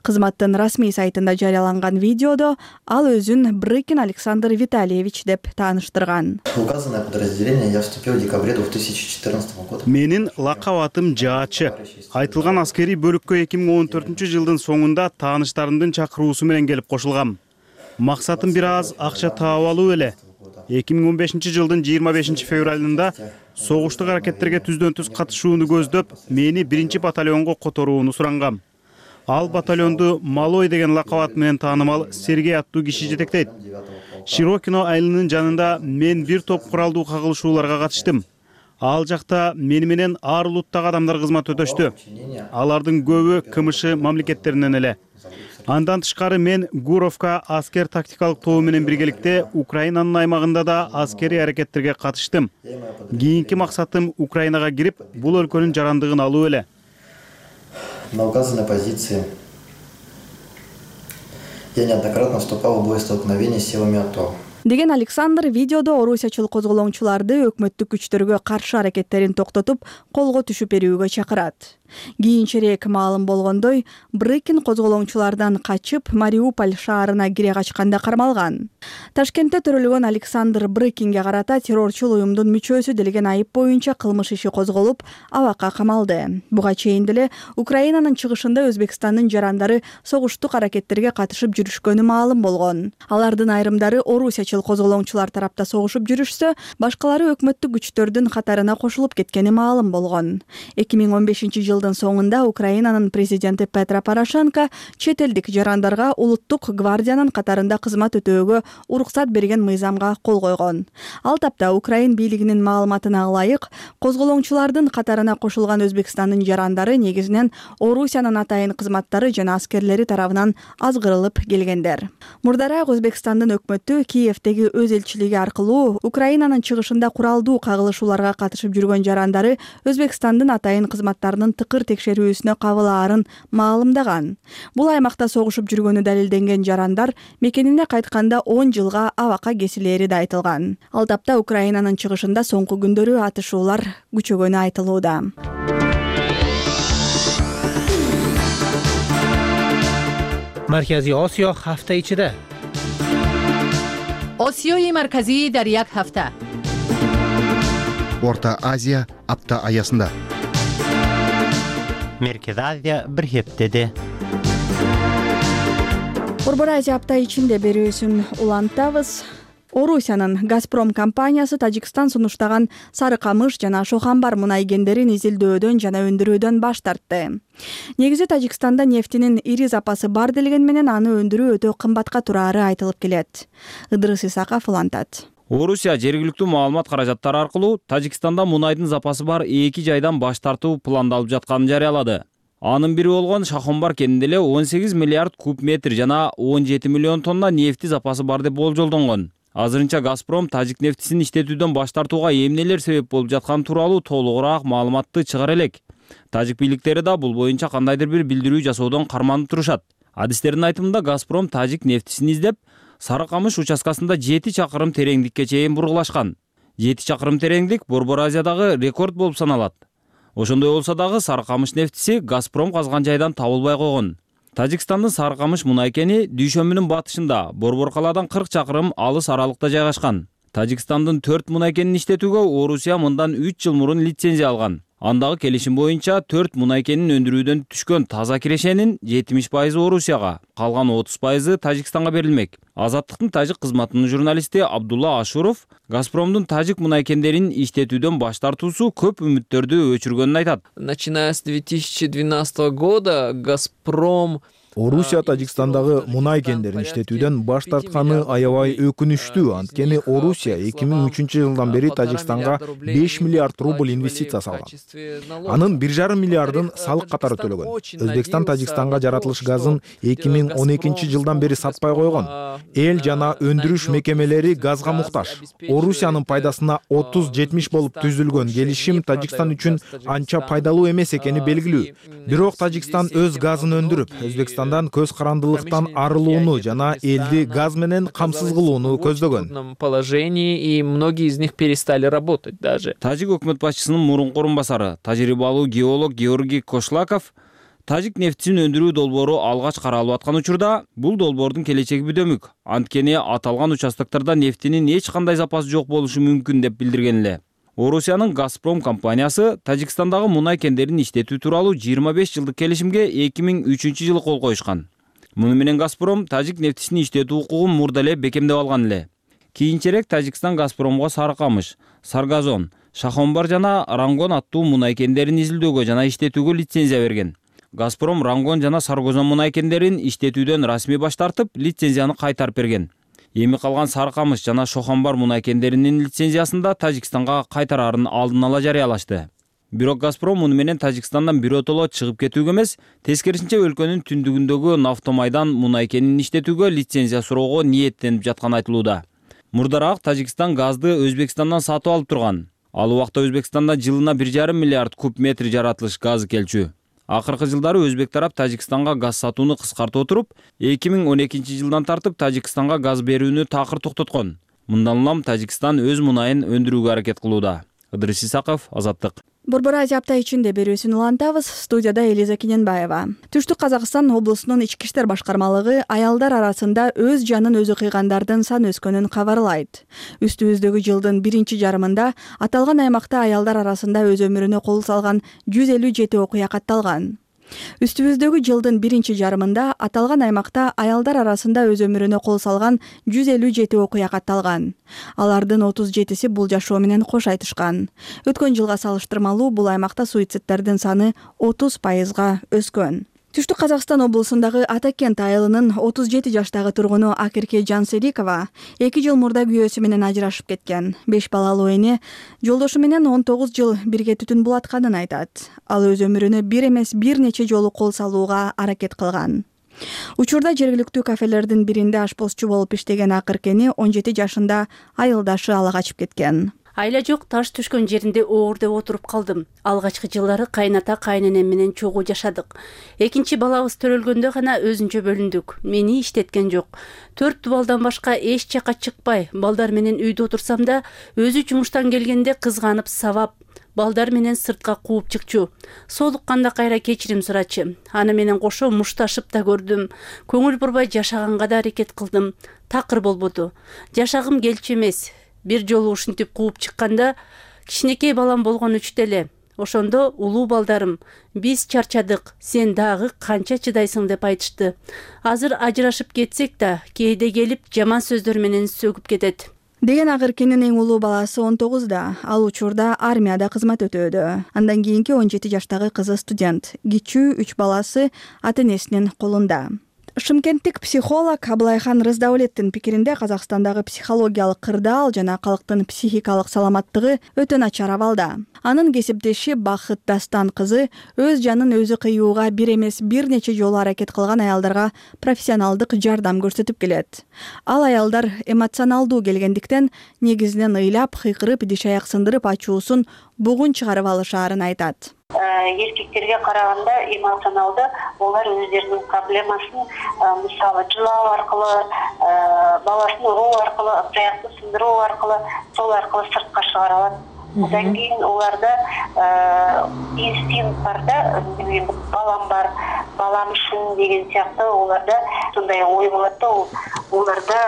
Кызматтын расмий сайтында жарыяланган видеодо ал өзүн Брыкин Александр Витальевич деп тааныштырган. Указанное подразделение я вступил в декабре две тысячи четырнадцатого года. Менин лакап атым Жаачы. Айтылган аскерий бөлүккө эки миң он төртүнчү жылдын соңунда тааныштарымдын чакыруусу менен келип кошулгам. Максатым бир аз акча таап алуу эле. эки миң он бешинчи жылдын жыйырма бешинчи февралында согуштук аракеттерге түздөн түз катышууну көздөп, мени биринчи батальонго которууну сурангам. Ал батальонду Малой деген лакап ат менен таанымал Сергей аттуу киши жетектейт. Широкино айылынын жанында мен бир топ куралдуу кагылышууларга катыштым. Ал жакта мени менен ар улуттагы адамдар кызмат өтөштү. Алардын көбү КМШ мамлекеттеринен эле. Андан тышкары мен Гуровка аскер тактикалык тобу менен биргеликте Украинанын аймагында да аскерий аракеттерге катыштым. Кийинки максатым Украинага кирип, бул өлкөнүн жарандыгын алуу эле. На указанной позиции я неоднократно вступал в боестолкновение с силами АТО. Деген Александр видеодо орусиячыл козголоңчуларды өкмөттүк күчтөргө каршы аракеттерин токтотуп, колго түшүп берүүгө чакырат. Кийинчерээк маалым болгондой, Брыкин козголоңчулардан качып Мариуполь шаарына кире качканда кармалган. Ташкентте төрөлгөн Александр Брыкинге карата террорчул уюмдун мүчөсү делген айып боюнча кылмыш иши козголуп, абакка камалды. Буга чейин деле Украинанын чыгышында Өзбекстандын жарандары согуштук аракеттерге катышып жүрүшкөнү маалым болгон. Алардын айрымдары орусиячыл козголоңчулар тарапта согушуп жүрүшсө, башкалары өкмөттүк күчтөрдүн катарына кошулуп кеткени маалым болгон. эки миң он бешинчи жылдын соңунда Украинанын президенти Петро Порошенко чет элдик жарандарга улуттук гвардиянын катарында кызмат өтөөгө уруксат берген мыйзамга кол койгон. Ал тапта Украин бийлигинин маалыматына ылайык, козголоңчулардын катарына кошулган Өзбекстандын жарандары негизинен Орусиянын атайын кызматтары жана аскерлери тарабынан азгырылып келгендер. Мурдараак Өзбекстандын өкмөтү Киевдеги өз элчилиги аркылуу Украинанын чыгышында куралдуу кагылышууларга катышып жүргөн жарандары Өзбекстандын атайын кызматтарынын тыкыр текшерүүсүнө кабылаарын маалымдаган. Бул аймакта согушуп жүргөнү далилденген жарандар мекенине кайтканда он жылга абакка кесилери да айтылган. Ал тапта Украинанын чыгышында соңку күндөрү атышуулар күчөгөнү айтылууда. Марказий Осиё ҳафта ичиде. Осиёи марказӣ дар як ҳафта. Орта Азия апта аясында. Меркез Азия бир хептеде. Борбор Азия апта ичинде берүүсүн улантабыз. Орусиянын Газпром компаниясы Тажикстан сунуштаган Сары Камыш жана Шохамбар мунай кендерин изилдөөдөн жана өндүрүүдөн баш тартты. Негизи Тажикстанда нефтинин ири запасы бар делген менен аны өндүрүү өтө кымбатка турары айтылып келет. Ыдырыс Исаков улантат. Орусия жергиликтүү маалымат каражаттары аркылуу Тажикстанда мунайдын запасы бар эки жайдан баш тартуу пландалып жатканын жарыялады. Анын бири болгон Шахомбар кенинде эле он сегиз миллиард куб метр жана он жети миллион тонна нефти запасы бар деп болжолдонгон. Азырынча Газпром тажик нефтисин иштетүүдөн баш тартууга эмнелер себеп болуп жатканы тууралуу толугураак маалыматты чыгара элек. Тажик бийликтери да бул боюнча кандайдыр бир билдирүү жасоодон карманып турушат. Адистердин айтымында Газпром тажик нефтисин издеп, Сары Камыш участкасында жети чакырым тереңдикке чейин бургулашкан. жети чакырым тереңдик Борбор Азиядагы рекорд болуп саналат. Ошондой болсо дагы Сары Камыш нефтиси Газпром казган жайдан табылбай койгон. Тажикстандын Сары Камыш мунай кени Дүйшөмбүнүн батышында, Борбор калаадан кырк чакырым алыс аралыкта жайгашкан. Тажикстандын төрт мунай кенин иштетүүгө Орусия мындан үч жыл мурун лицензия алган. Андагы келишим боюнча төрт мунай кенин өндүрүүдөн түшкөн таза кирешенин жетимиш пайызы Орусияга, калган отуз пайызы Тажикстанга берилмек. Азаттыктын тажик кызматынын журналисти Абдулла Ашуров Газпромдун тажик мунай кендерин иштетүүдөн баш тартуусу көп үмүттөрдү өчүргөнүн айтат. Начиная с две тысячи двенадцатого года Газпром Орусия Тажикстандагы мунай кендерин иштетүүдөн баш тартканы аябай өкүнүчтүү. Анткени Орусия эки миң үчүнчү жылдан бери Тажикстанга беш миллиард рубль инвестиция салган. Анын бир жарым миллиардын салык катары төлөгөн. Өзбекстан Тажикстанга жаратылыш газын эки миң он экинчи жылдан бери сатпай койгон. Эл жана өндүрүш мекемелери газга муктаж. Орусиянын пайдасына отуз жетимиш болуп түзүлгөн келишим Тажикстан үчүн анча пайдалуу эмес экени белгилүү. Бирок Тажикстан өз газын өндүрүп, Өзбекстан көз карандылыктан арылууну жана элди газ менен камсыз кылууну көздөгөн. Положении и многие из них перестали работать даже. Тажик өкмөт башчысынын мурунку орун басары, тажрыйбалуу геолог Георгий Кошлаков тажик нефтисин өндүрүү долбоору алгач каралып аткан учурда бул долбоордун келечеги бүдөмүк. Анткени аталган участоктарда нефтинин эч кандай запасы жок болушу мүмкүн деп билдирген эле. Орусиянын Газпром компаниясы Тажикстандагы мунай кендерин иштетүү тууралуу жыйырма беш жылдык келишимге эки миң үчүнчү жылы кол коюшкан. Муну менен Газпром тажик нефтисин иштетүү укугун мурда эле бекемдеп алган эле. Кийинчерээк Тажикстан Газпромго Сары Камыш, Саргазон, Шахомбар жана Рангон аттуу мунай кендерин изилдөөгө жана иштетүүгө лицензия берген. Газпром Рангон жана Саргазон мунай кендерин иштетүүдөн расмий баш тартып, лицензияны кайтарып берген. Эми калган Сары Камыш жана Шохамбар мунай кендеринин лицензиясында Тажикстанга кайтарарын алдын ала жарыялашты. Бирок Газпром муну менен Тажикстандан биротоло чыгып кетүүгө эмес, тескерисинче өлкөнүн түндүгүндөгү Нафтомайдан мунай кенин иштетүүгө лицензия суроого ниеттенип жатканы айтылууда. Мурдараак Тажикстан газды Өзбекстандан сатып алып турган. Ал убакта Өзбекстанда жылына бир жарым миллиард куб метр жаратылыш газы келчү. Акыркы жылдары Өзбек тарап Тажикстанга газ сатууну кыскартып отуруп, эки миң он экинчи жылдан тартып Тажикстанга газ берүүнү такыр токтоткон. Мындан улам Тажикстан өз мунайын өндүрүүгө аракет кылууда. Ыдырыс Исаков, Азаттык. Борбор Азия апта ичинде берүүсүн улантабыз. Студияда Элиза Кененбаева. Түштүк Казакстан облусунун ички иштер башкармалыгы аялдар арасында өз жанын өзү кыйгандардын саны өскөнүн кабарлайт. Үстүбүздөгү жылдын биринчи жарымында аталган аймакта аялдар арасында өз өмүрүнө кол салган жүз элүү жети окуя катталган. Үстүбүздөгү жылдын биринчи жарымында аталган аймакта аялдар арасында өз өмүрүнө кол салган жүз элүү жети окуя катталган. Алардын отуз жетиси бул жашоо менен кош айтышкан. Өткөн жылга салыштырмалуу бул аймакта суицидтердин саны отуз пайызга өскөн. Түштүк Казакстан облусундагы Атакент айылынын отуз жети жаштагы тургуну Акерке Жансерикова эки жыл мурда күйөөсү менен ажырашып кеткен. беш балалуу эне жолдошу менен он тогуз жыл бирге түтүн булатканын айтат. Ал өз өмүрүнө бир эмес бир нече жолу кол салууга аракет кылган. Учурда жергиликтүү кафелердин биринде ашпозчу болуп иштеген Акеркени он жети жашында айылдашы ала качып кеткен. Айла жок, таш түшкөн жеринде оор деп отуруп калдым. Алгачкы жылдары кайната кайненем менен чогуу жашадык. Экинчи балабыз төрөлгөндө гана өзүнчө бөлүндүк. Мени иштеткен жок. Төрт балдан башка эч жака чыкпай, балдар менен үйдө отурсам да, өзү жумуштан келгенде кызганып сабап, балдар менен сыртка кууп чыкчу. Соолукканда кайра кечирим сурачы. Аны менен кошо мушташып да көрдүм. Көңүл бурбай жашаганга да аракет кылдым. Такыр болбоду. Жашагым келчү эмес. Бир жолу ушинтип кууп чыкканда кичинекей балам болгон үчтө эле. Ошондо улуу балдарым, биз чарчадык, сен дагы канча чыдайсың деп айтышты. Азыр ажырашып кетсек да, кээде келип жаман сөздөр менен сөгүп кетет. деген акыркинин эң улуу баласы он тогузда. Ал учурда армияда кызмат өтөөдө. Андан кийинки он жети жаштагы кызы студент. Кичүү үч баласы ата энесинин колунда. Шымкенттик психолог Абылайхан Рыздаулеттин пикиринде Казакстандагы психологиялык кырдаал жана калктын психикалык саламаттыгы өтө начар абалда. Анын кесиптеши Бакыт Дастан кызы өз жанын өзү кыюуга бир эмес бир нече жолу аракет кылган аялдарга профессионалдык жардам көрсөтүп келет. Ал аялдар эмоционалдуу келгендиктен негизинен ыйлап, кыйкырып, диш аяк сындырып ачуусун бугун чыгарып алышаарын айтат. Эркектерге караганда эмоционалды олар өздеринин проблемасын мисалы жылоо аркылы, баласын уруу аркылы, аяқты сындыруу аркылы, сол аркылы сыртка чыгара алат. Одан кийин оларда инстинкт бар да, балам бар, балам үчүн деген сыяктуу оларда сондай ой болот да, оларда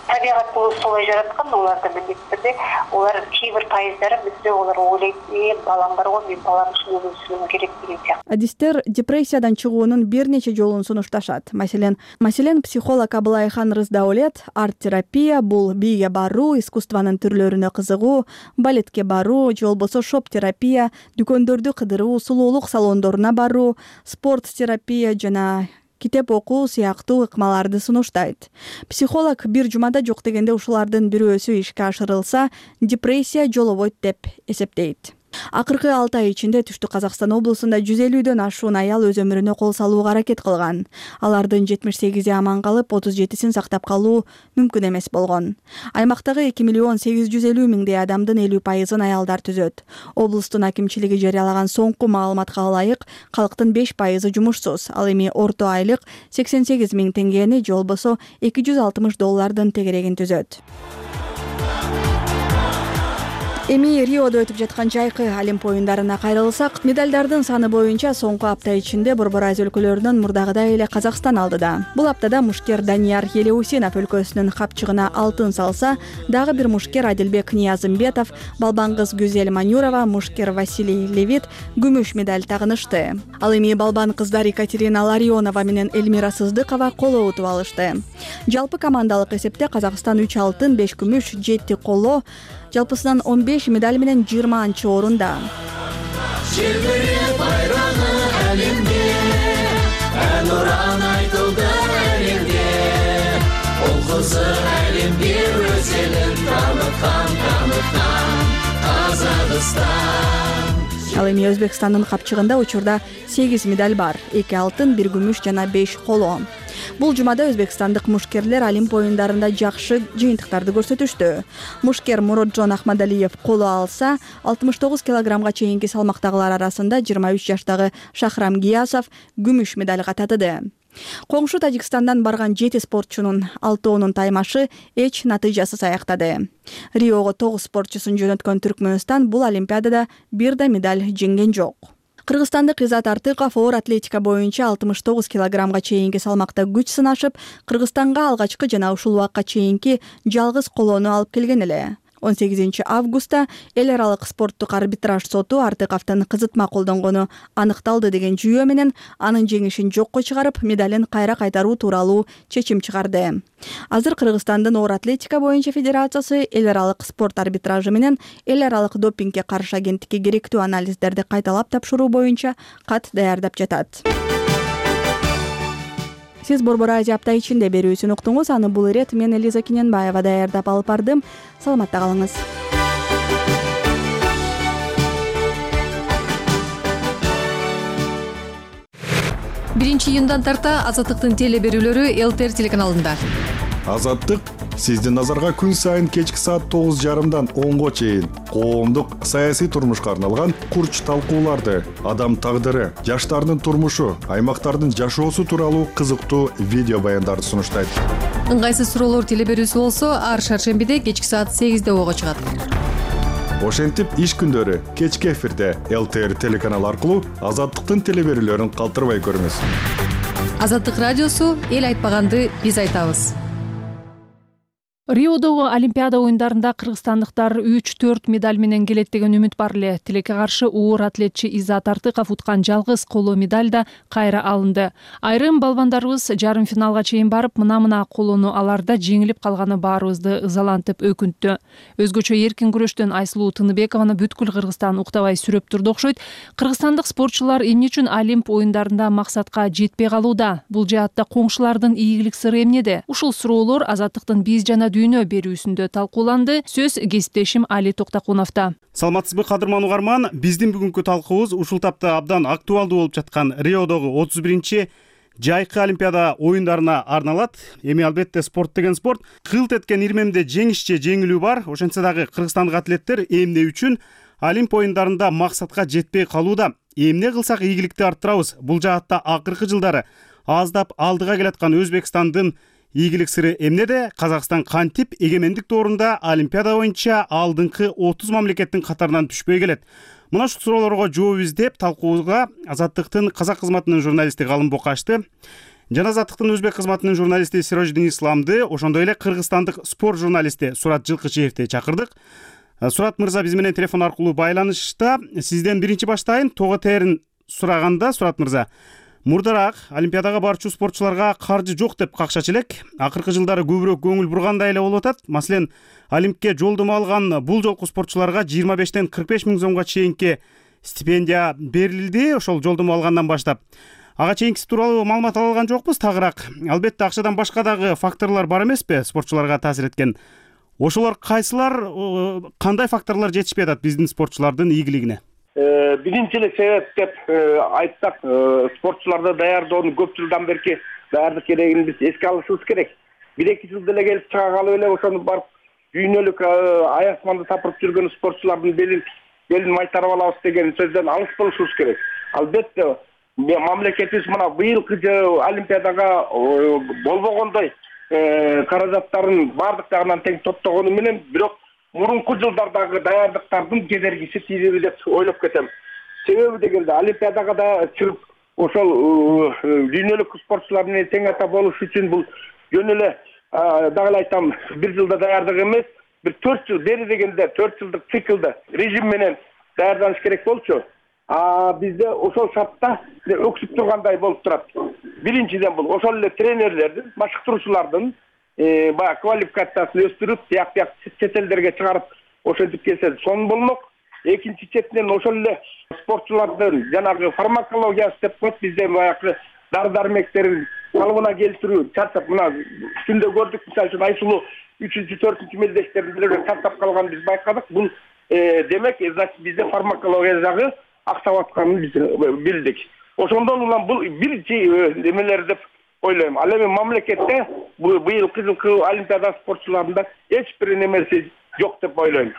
табигат болуп солай жараткан, оларда мындайт түрдө олар кээ бир пайыздары бизде олар ойлойт, балам бар го, мен балам үчүн өмүр сүрүшүм керек деген сыяктуу. Адистер депрессиядан чыгуунун бир нече жолун сунушташат. Маселен, маселен психолог Абылайхан Рыздаулет арт-терапия, бул бийге баруу, искусствонун түрлөрүнө кызыгуу, балетке баруу, же болбосо шоп-терапия, дүкөндөрдү кыдыруу, сулуулук салондоруна баруу, спорт-терапия жана китеп окуу сыяктуу ыкмаларды сунуштайт. Психолог бир жумада жок дегенде ушулардын бирөөсү ишке ашырылса, депрессия жолобойт деп эсептейт. Акыркы алты ай ичинде Түштүк Казакстан облусунда жүз элүүдөн ашуун аял өз өмүрүнө кол салууга аракет кылган. Алардын жетимиш сегизи аман калып, отуз жетисин сактап калуу мүмкүн эмес болгон. Аймактагы эки миллион сегиз жүз элүү миңдей адамдын элүү пайызын аялдар түзөт. Облустун акимчилиги жарыялаган соңку маалыматка ылайык, калктын беш пайызы жумушсуз. Ал эми орто айлык сексен сегиз миң теңгени же болбосо эки жүз алтымыш доллардын тегерегин түзөт. Эми Риодо өтүп жаткан жайкы Олимп оюндарына кайрылсак, медалдардын саны боюнча соңку апта ичинде Борбор Азия өлкөлөрүнөн мурдагыдай эле Казакстан алдыда. Бул аптада мушкер Данияр Елеусинов өлкөсүнүн капчыгына алтын салса, дагы бир мушкер Адилбек Ниязымбетов, балбан кыз Гүзел Манюрова, мушкер Василий Левит күмүш медаль тагынышты. Ал эми балбан кыздар Екатерина Ларионова менен Эльмира Сыздыкова коло утуп алышты. Жалпы командалык эсепте Казакстан үч алтын, беш күмүш, жети коло, жалпысынан он беш медаль менен жыйырманчы орунда. Желбиреп байрагы әлемге, ән уран айтылды әлемге. Ол кызы әлемге өз элин таныткан, таныткан Казакстан. Ал эми Өзбекстандын капчыгында учурда сегиз медаль бар, эки алтын, бир күмүш жана беш коло. Бул жумада өзбекстандык мушкерлер Олимп оюндарында жакшы жыйынтыктарды көрсөтүштү. Мушкер Муроджон Ахмадалиев коло алса, алтымыш тогуз килограммга чейинки салмактагылар арасында жыйырма үч жаштагы Шахрам Гиясов күмүш медальга татыды. Коңшу Тажикстандан барган жети спортчунун алтоонун таймашы эч натыйжасыз аяктады. Риого тогуз спортчусун жөнөткөн Түркмөнстан бул олимпиадада бир да медаль жеңген жок. Кыргызстандык Изат Артыков оор атлетика боюнча алтымыш тогуз килограммга чейинки салмакта күч сынашып, Кыргызстанга алгачкы жана ушул убакка чейинки жалгыз колону алып келген эле. он сегизинчи августта эл аралык спорттук арбитраж соту Артыковдун кызытма колдонгону аныкталды деген жүйө менен анын жеңишин жокко чыгарып, медалин кайра кайтаруу тууралуу чечим чыгарды. Азыр Кыргызстандын оор атлетика боюнча федерациясы эл аралык спорт арбитражы менен эл аралык допингге каршы агенттикке керектүү анализдерди кайталап тапшыруу боюнча кат даярдап жатат. Сиз Борбор Азия апта ичинде берүүсүн уктуңуз. Аны бул ирет мен Элиза Киненбаева даярдап алып бардым. Саламатта калыңыз. биринчи июндан тарта Азаттыктын теле берүүлөрү эл-тэ эр телеканалында. Азаттык сиздин назарга күн сайын кечки саат тогуз жарымдан онго чейин коомдук саясий турмушка арналган курч талкууларды, адам тагдыры, жаштардын турмушу, аймактардын жашоосу тууралуу кызыктуу видео баяндарды сунуштайт. Ыңгайсыз суроолор теле берүүсү болсо, ар шаршембиде кечки саат сегизде ого чыгат. Ошентип иш күндөрү кечки эфирде эл-тэ эр телеканалы аркылуу Азаттыктын теле берүүлөрүн калтырбай көрүңүз. Азаттык радиосу эл айтпаганды биз айтабыз. Риодогу Олимпиада оюндарында кыргызстандыктар үч төрт медаль менен келет деген үмүт бар эле. Тилекке каршы уур атлетчи Иззат Артыков уткан жалгыз коло медаль да кайра алынды. Айрым балбандарыбыз жарым финалга чейин барып, мына-мына колону аларда жеңилип калганы баарыбызды ызалантып өкүнттү. Өзгөчө эркин күрөштөн Айсулуу Тыныбекованы бүткүл Кыргызстан уктабай сүрөп турду окшойт. Кыргызстандык спортчулар эмне үчүн Олимп оюндарында максатка жетпей калууда? Бул жаатта коңшулардын ийгилик сыры эмнеде? Ушул суроолор Азаттыктын биз жана дүйнө берүүсүндө талкууланды. Сөз кесиптешим Али Токтакуновдо. Саламатсызбы кадырман угарман, биздин бүгүнкү талкуубуз ушул тапта абдан актуалдуу болуп жаткан Риодогу отуз биринчи жайкы Олимпиада оюндарына арналат. Эми албетте спорт деген спорт. Кылт эткен ирмемде жеңиш же жеңилүү бар. Ошентсе дагы кыргызстандык атлеттер эмне үчүн Олимп оюндарында максатка жетпей калууда? Эмне кылсак ийгиликти арттырабыз? Бул жаатта акыркы жылдары аздап алдыга келаткан Өзбекстандын ийгилик сыры эмнеде? Казакстан кантип эгемендик доорунда Олимпиада боюнча алдыңкы отуз мамлекеттин катарынан түшпөй келет? Мына ушул суроолорго жооп издеп талкуубузга Азаттыктын казак кызматынын журналисти Галым Бокашты жана Азаттыктын өзбек кызматынын журналисти Сирождин Исламды, ошондой эле кыргызстандык спорт журналисти Сурат Жылкычиевди чакырдык. Сурат мырза биз менен телефон аркылуу байланышта. Сизден биринчи баштайын. Тоо тээрин сураганда, Сурат мырза, мурдараак Олимпиадага барчу спортчуларга каржы жок деп какшачу элек. Акыркы жылдары көбүрөөк көңүл бургандай эле болуп атат. Маселен, Олимпке жолдомо алган бул жолку спортчуларга жыйырма бештен кырк беш миң сомго чейинки стипендия берилди, ошол жолдомо алгандан баштап. Ага чейинкиси тууралуу маалымат ала алган жокпуз. Тагыраак, албетте акчадан башка дагы факторлор бар эмеспи спортчуларга таасир эткен? Ошолор кайсылар, кандай факторлор жетишпей атат биздин спортчулардын ийгилигине? Биринчи эле себеп деп айтсак, спортчуларды даярдоонун көп жылдан берки даярдык керегин биз эске алышыбыз керек. Бир эки жылда эле келип чыга калып эле ошону барып дүйнөлүк аясманды тапырып жүргөн спортчулардын белин белин майтарып алабыз деген сөздөн алыс болушубуз керек. Албетте мамлекетибиз мына быйылкы Олимпиадага болбогондой каражаттарын баардык жагынан тең топтогону менен, бирок мурунку жылдардагы даярдыктардын кедергиси тийиби деп ойлоп кетем. Себеби дегенде Олимпиадага да чыгып ошол дүйнөлүк спортчулар менен тең ата болуш үчүн бул жөн эле дагы эле айтам, бир жылда даярдык эмес, бир төрт жыл бери дегенде төрт жылдык циклда режим менен даярданыш керек болчу. А бизде ошол шартта өксүп тургандай болуп турат. Биринчиден бул ошол эле тренерлердин, машыктыруучулардын баягы квалификациясын өстүрүп, тияк-тияк чет элдерге чыгарып ошентип келсе сонун болмок. Экинчи четинен ошол эле спортчулардын жанагы фармакологиясы деп коет, бизде баягы дары-дармектерин калыбына келтирүү чарчап, мына түндө көрдүк, мисалы үчүн Айсулуу үчүнчү, төртүнчү мелдештерин деле чарчап калган биз байкадык. Бул демек, значит, бизде фармакология жагы аксап атканын биз билдик. Ошондон улам бул биринчи эмелер деп ойлойм. Ал эми мамлекетте быйылкы жылкы Олимпиада спортчуларында эч бир немеси жок деп ойлойм.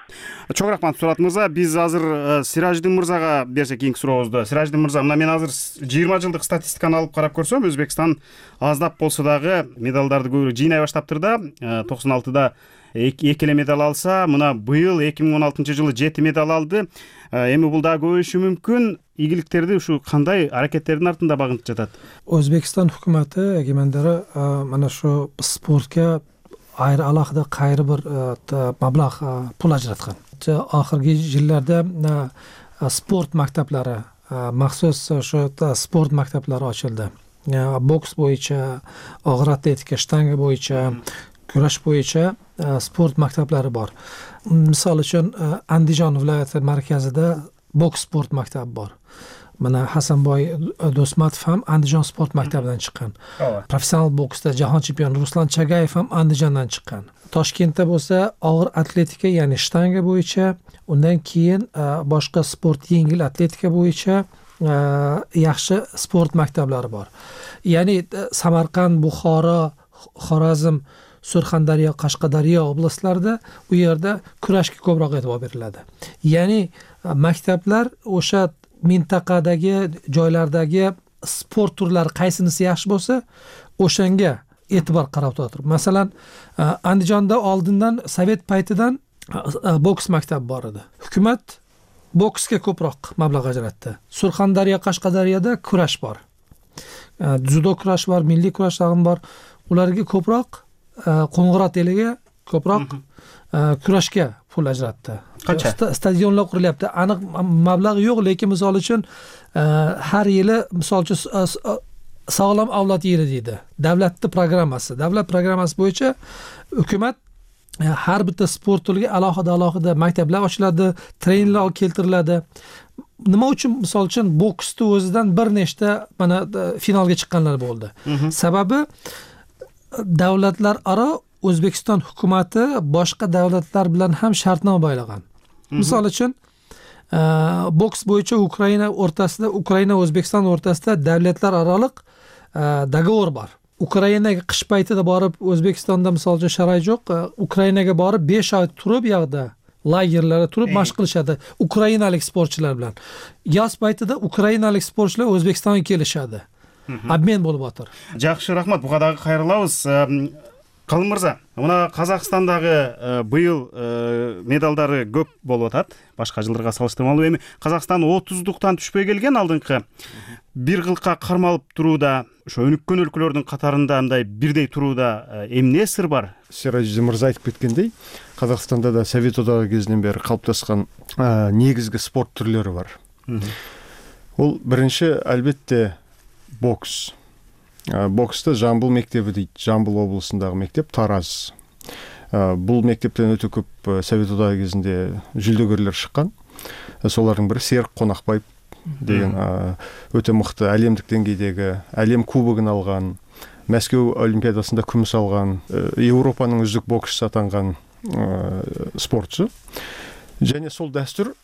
Чоң рахмат, Сурат мырза. Биз азыр Сираждин мырзага берсек кийинки сурообузду. Сираждин мырза, мына мен азыр жыйырма жылдык статистиканы алып карап көрсөм, Өзбекстан аздап болсо дагы медалдарды көбүрөөк жыйнай баштаптыр да. токсон алтыда эки эле медаль алса, мына быйыл эки миң он алтынчы жылы жети медаль алды. Эми бул дагы көбөйүшү мүмкүн. Ийгиликтерди ушу кандай аракеттердин артында багынтып жатат? Өзбекстан өкмөтү эгемендери мына ушу спортко айры алакырда кайры бир маблаг пул ажыраткан. Акыркы жылдарда спорт мактаптары, махсус ошо спорт мактаптары ачылды. Бокс боюнча, огур атлетика, штанга боюнча, күрөш боюнча спорт мактаптары бар. Мисалы үчүн Андижан viloyati марказында бокс спорт мактабы бар. Мына Хасанбой Досматов ham Andijon sport maktabidan chiqqan. Professional boksda jahon chempioni Ruslan Chagayev ham Andijondan chiqqan. Toshkentda bo'lsa og'ir atletika, ya'ni shtanga bo'yicha, undan keyin boshqa sport yengil atletika bo'yicha yaxshi sport maktablari bor. Ya'ni Samarqand, Buxoro, Xorazm, Surxondaryo, Qashqadaryo oblastlarida u yerda kurashga ko'proq e'tibor beriladi. Ya'ni maktablar o'sha mintaqadagi joylardagi sport turlari qaysinisi yaxshi bo'lsa, o'shanga e'tibor qarab turadi. Masalan, Andijonda oldindan Sovet paytidan boks maktabi bor edi. Hukumat boksga ko'proq mablag' ajratdi. Surxondaryo, Qashqadaryoda kurash bor. Judo kurash bor, milliy kurash ham bor. Ularga ko'proq Qo'ng'irot eliga ko'proq kurashga pul ajratdi. Qancha? Stadionlar qurilyapti. Aniq mablag' yo'q, lekin misol uchun har yili misol uchun sog'lom avlod yili deydi. Davlatning programmasi. Davlat programmasi bo'yicha hukumat har bitta sport turiga alohida alohida maktablar ochiladi, treninglar keltiriladi. Nima uchun misol uchun boksda o'zidan bir nechta mana finalga chiqqanlar bo'ldi. Sababi davlatlar aro O'zbekiston hukumati boshqa davlatlar bilan ham shartnoma bo'ylagan. Misol uchun boks bo'yicha Ukraina o'rtasida, Ukraina O'zbekiston o'rtasida davlatlar oraliq dogovor bor. Ukrainaga qish paytida borib O'zbekistonda misol uchun sharoit yo'q, Ukrainaga borib besh oy turib yoqda lagerlarda turib mashq qilishadi ukrainalik sportchilar bilan. Yoz paytida ukrainalik sportchilar O'zbekistonga kelishadi. Обмен bo'lib o'tir. Жақсы, рахмат. Бугадагы кайрылабыз. Калым мырза, мына Казакстандагы быйыл медалдары көп болуп атат. Башка жылдарга салыштырмалуу эми Казакстан отуздуктан түшпөй келген алдыңкы бир кылка кармалып турууда, ошо өнүккөн өлкөлөрдүн катарында мындай бирдей турууда эмне сыр бар? Серажи мырза айтып кеткендей, Казакстанда да Совет одагы кезинен бери калыптаскан негизги спорт түрлөрү бар. Ол биринчи албетте бокс. Бокста Жамбыл мектеби дейт, Жамбыл облусундагы мектеп, Тараз. Бул мектептен өтө көп Совет одагы кезинде жүлдөгөрлөр чыккан. Солардын бири Серик Конакбаев деген өтө мыкты әлемдик деңгейдеги әлем кубогун алган, Мәскеу олимпиадасында күмүс алган, Европанын үздүк боксчусу атанган спортчу. Және сол дәстүр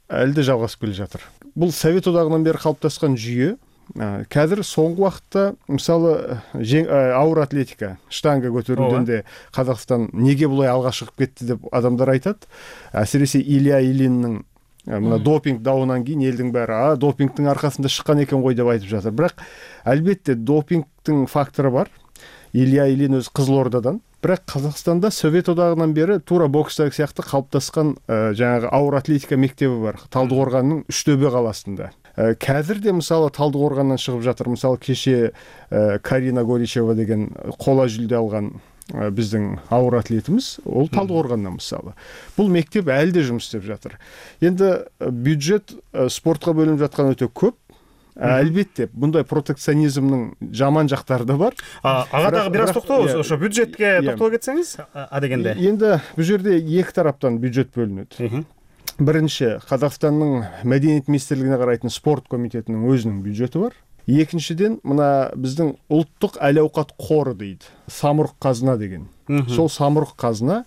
әлде жалгасып келе жатыр. Бул Совет одагынан бери калыптаскан жүйө. Қазір соңғы уақытта мысалы ауыр атлетика, штанга көтерүүдөн Қазақстан неге бұлай алға шығып кетті деп адамдар айтады. Әсіресе Илья Ильиннің мына допинг дауынан кейін елдің бәрі, а допингтің арқасында шыққан екен ғой деп айтып жатыр. Бірақ әлбетте допингтің факторы бар. Илья Ильин өз Қызылордадан. Бірақ Қазақстанда Совет одағынан бері тура бокстағы сияқты қалыптасқан жаңағы ауыр атлетика мектебі бар. Талдықорғанның Үштөбе қаласында. Қазір де мысалы Талдықорғаннан шығып жатыр. Мысалы кеше Карина Горичева деген қола жүлде алған біздің ауыр атлетіміз, ол Талдықорғаннан мысалы. Бұл мектеп әлі де жұмыс істеп жатыр. Енді бюджет спортқа бөлініп жатқан өте көп. Әлбетте, бұндай протекционизмнің жаман жақтары да бар. Ағадағы біраз тоқтауыз, ошо бюджетке тоқтау кетсеңіз, а дегенде? Енді бұл жерде екі тараптан бюджет бөлінеді. Бірінші, Қазақстанның мәдениет министрлігіне қарайтын спорт комитетінің өзінің бюджеті бар. Екіншіден, мына біздің ұлттық әл-ауқат қоры дейді. Самұрық қазына деген. Сол самұрық қазына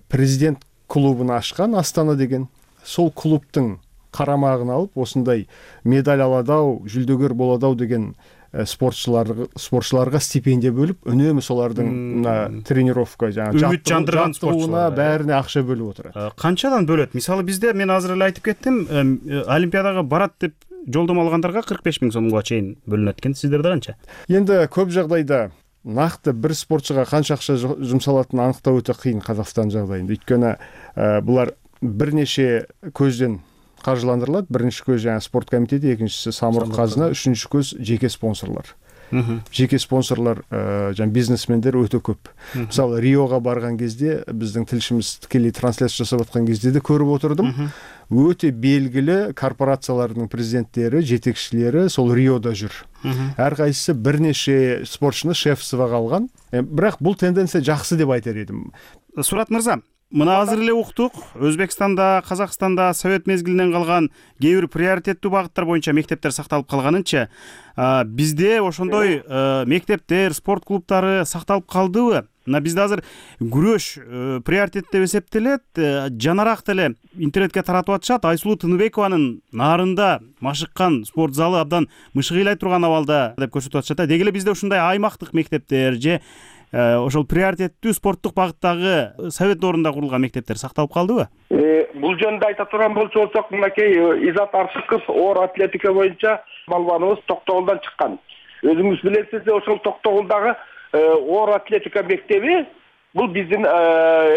президент клубын ашқан Астана деген. Сол клубтың қарамағын алып, осындай медаль аладау, жүлдөгер боладау деген спортшыларға стипендия бөліп, үнемі солардың тренировка, жаттығуына бәріне ақша бөліп отыр. Қаншадан бөледі? Мысалы, бізде, мен азыр эле айтып кеттім, Олимпиадаға барат деп жолдама алғандарға кырк беш миң сомго чейин бөлінеді екен. Сіздерде қанша? Енді көп жағдайда нақты бір спортшыға қанша ақша жұмсалатынын анықтау өте қиын Қазақстан жағдайында. Өйткені бұлар бірнеше көзден қаржыландырылады. Бірінші көз жаңа спорт комитеті, екіншісі самұрық қазына, үшінші көз жеке спонсорлар. Жеке спонсорлар, жаңа бизнесмендер өте көп. Мысалы, Риоға барған кезде біздің тілшіміз тікелей трансляция жасап жатқан кезде де көріп отырдым. Өте белгілі корпорациялардың президенттері, жетекшілері сол Риода жүр. Әрқайсысы бірнеше спортшыны шеф-сываға алған. Бірақ бұл тенденция жақсы деп айтар едім. Сурат мырза, мына азыр эле уктук, Өзбекстанда, Казакстанда Совет мезгилинен калган кээ бир приоритеттүү багыттар боюнча мектептер сакталып калганынча, бизде ошондой мектептер, спорт клубтары сакталып калдыбы? Мына бизде азыр күрөш приоритет деп эсептелет, жанараак деле интернетке таратып атышат. Айсулуу Тыныбекованын нарында машыккан спорт залы абдан мышыгыйлай турган абалда деп көрсөтүп атышат. Деги эле бизде ушундай аймактык мектептер же ошол приоритеттүү спорттук багыттагы совет орунда курулган мектептер сакталып калдыбы? Бул жөнүндө айта турган болсок, мынакей Изат Аршыков оор атлетика боюнча балбаныбыз Токтогулдан чыккан. Өзүңүз билесиз, ошол Токтогулдагы оор атлетика мектеби бул биздин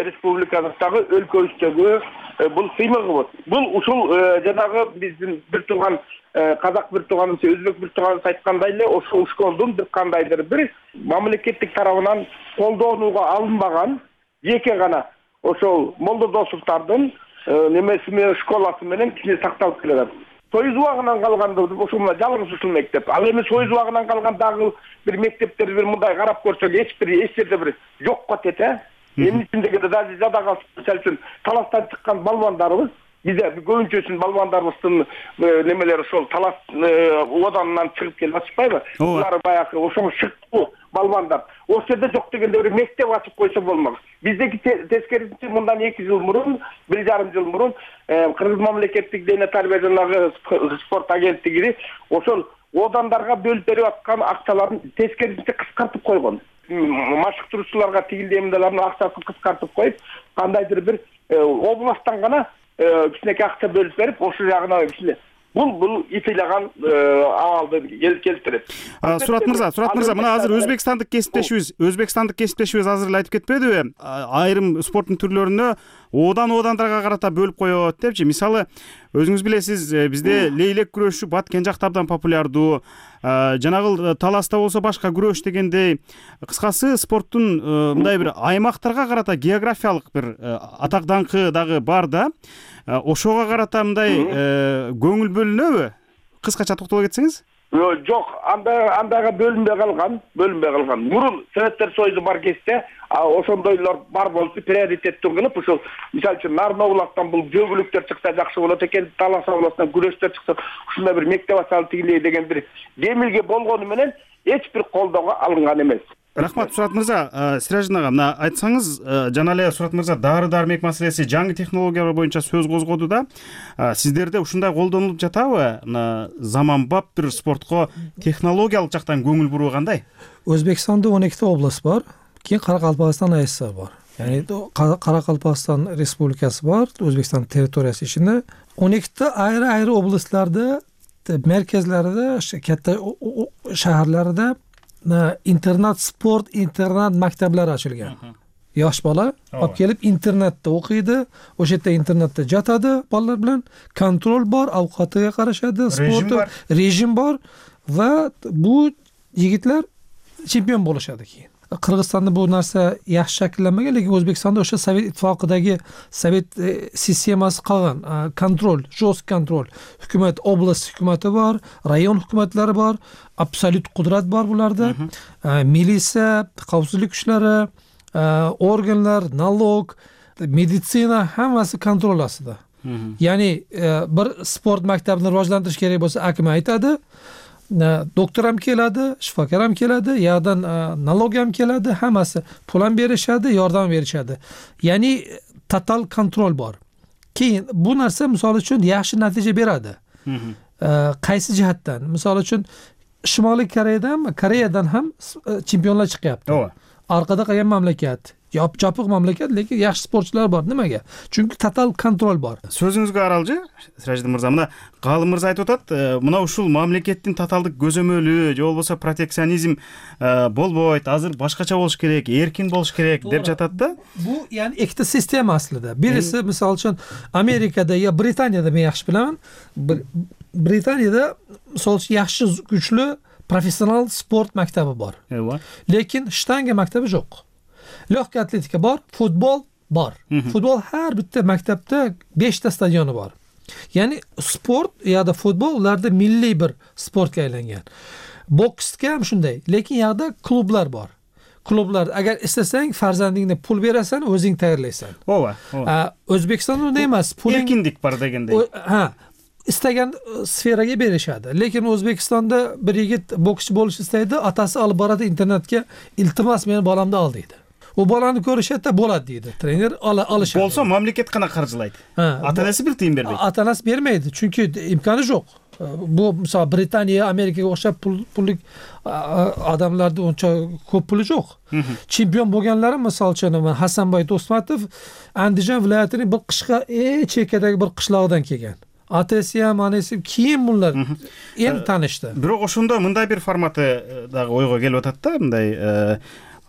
республикабыздагы өлкөбүздөгү бул сыймыгыбыз. Бул ушул жанагы биздин бир турган казак бир тууганыбыз, өзбек бир тууганыбыз айткандай эле, ошол школдун бир кандайдыр бир мамлекеттик тарабынан колдонууга алынбаган жеке гана ошол Молдодосовдордун немеси менен школасы менен кичине сакталып келатат. Союз убагынан калган ошол мына жалгыз ушул мектеп. Ал эми Союз убагынан калган дагы бир мектептерди бир мындай карап көрсөк, эч бир эч жерде бир жок катет, э. Эмне үчүн дегенде даже жада мисалы үчүн таластан чыккан балбандарыбыз, бизде көбүнчөсүнүн балбандарыбыздын немелери ошол талас оданынан чыгып келип атышпайбы? Булар баягы ошол шыктуу балбандар. Ошол жерде жок дегенде бир мектеп ачып койсо болмок. Биздеки тескерисинче мындан эки жыл мурун, бир жарым жыл мурун Кыргыз мамлекеттик дене тарбия жана спорт агенттиги ошол одандарга бөлүп берип аткан акчаларын тескерисинче кыскартып койгон. Машыктыруучуларга тигилдемдердин акчасын кыскартып коюп, кандайдыр бир областтан гана кичинекей акча бөлүп берип, ошол жагына кичине бул бул итилаган абалды келтирет. Сурат мырза, Сурат мырза, мына азыр өзбекстандык кесиптешибиз, өзбекстандык кесиптешибиз азыр эле айтып кетпедиби? Айрым спорттун түрлөрүнө одан одандарга карата бөлүп коет депчи. Мисалы, өзүңүз билесиз, бизде лейлек күрөшү Баткен жакта абдан популярдуу. Жанагыл таласта болсо башка күрөш дегендей, кыскасы спорттун мындай бир аймактарга карата географиялык бир атак даңкы дагы бар да. Ошого карата мындай көңүл бөлүнөбү? Кыскача токтоло кетсеңиз? Жок, анда андайга бөлүнбөй калган, бөлүнбөй калган. Мурун Советтер Союзу бар кезде ошондойлор бар болуп, приоритеттүү кылып, ошол мисалы үчүн Нарын областан бул жөгүлүктөр чыкса жакшы болот экен, Талас областынан күрөштөр чыкса, ушундай бир мектеп ачалы тигилей деген бир демилге болгону менен эч бир колдоого алынган эмес. Рахмат, Сурат мырза. Сиражин ага, мына айтсаңыз, жана эле Сурат мырза дары дармек маселеси, жаңы технологиялар боюнча сөз козгоду да. Сиздерде ушундай колдонулуп жатабы? Мына заманбап бир спортко технологиялык жактан көңүл буруу кандай? Өзбекстанда он эките область бар, кийин Каракалпакстан АССР бар. Яни Каракалпакстан республикасы бар, Өзбекстан территориясы ичинде он эките айры-айры областларда, мерkezlerde, katta shaharlarda internat sport, internat maktablari ochilgan. Yosh bola olib kelib internatda o'qiydi, o'sha yerda internatda jatadi bolalar bilan, kontrol bor, ovqatiga qarashadi, sporti, rejim bor va bu yigitlar chempion bo'lishadi keyin. Qirg'izistonda bu narsa yaxshi shakllanmagan, lekin O'zbekistonda o'sha Sovet ittifoqidagi Sovet sistemasi qolgan, kontrol, jo'st kontrol. Hukumat, oblast hukumati bor, rayon hukumatlari bor, absolut qudrat bor bularda. Militsiya, xavfsizlik kuchlari, organlar, nalog, meditsina hammasi kontrol ostida. Ya'ni bir sport maktabini rivojlantirish kerak bo'lsa, akim aytadi, doktor ham keladi, shifokor ham keladi, yoqdan nalog ham keladi, hammasi pul ham berishadi, yordam berishadi. Ya'ni total kontrol bor. Keyin bu narsa misol uchun yaxshi natija beradi. Qaysi jihatdan? Misol uchun Shimoliy Koreyadan, Koreyadan ham chempionlar chiqyapti. Orqada qolgan mamlakat, yopiq mamlakat, lekin yaxshi sportchilar bor. Nimaga? Chunki total kontrol bor. So'zingizga qaralji, Sirajidin mirza, mana G'alım mirza aytib o'tadi, mana ушул мамлекеттин таталдык көзөмөлү, же болбосо протекционизм болбойт, азыр башкача болуш керек, эркин болуш керек деп жатат да. Bu yani ikkita sistema aslida. Birisi misol uchun Amerikada yo Britaniyada men yaxshi bilaman. Britaniyada misol uchun yaxshi kuchli professional sport maktabi bor. Lekin shtanga maktabi yo'q. Lehka atletika bor, futbol bor. Futbol har bitta maktabda beshta stadioni bor. Ya'ni sport ya da futbol ularda milliy bir sportga aylangan. Boksga ham shunday, lekin yoqda klublar bor. Klublar agar istasang farzandingni pul berasan, o'zing tayyorlaysan. Ova. O'zbekistonda unday emas. Erkinlik bor deganday. Ha, istagan sferaga berishadi. Lekin O'zbekistonda bir yigit bokschi bo'lish istaydi, atasi olib boradi internetga, iltimos meni bolamni ol deydi. U bolani ko'rishadi, bo'ladi deydi. Trener olishadi. Bo'lsa mamlakat qana qarjilaydi. Ota-onasi bir tiyin bermaydi. Ota-onasi bermaydi, chunki imkoni yo'q. Bu misol Britaniya, Amerikaga o'xshab pul pullik odamlarda uncha ko'p puli yo'q. Chempion bo'lganlari misol uchun Hasanboy Do'stmatov Andijon viloyatining bir qishqa chekkadagi bir qishlog'idan kelgan. Atasi ham, onasi keyin bunlar endi tanishdi. Biroq o'shunda мындай bir formati dag'i o'yga kelib o'tadi-da, bunday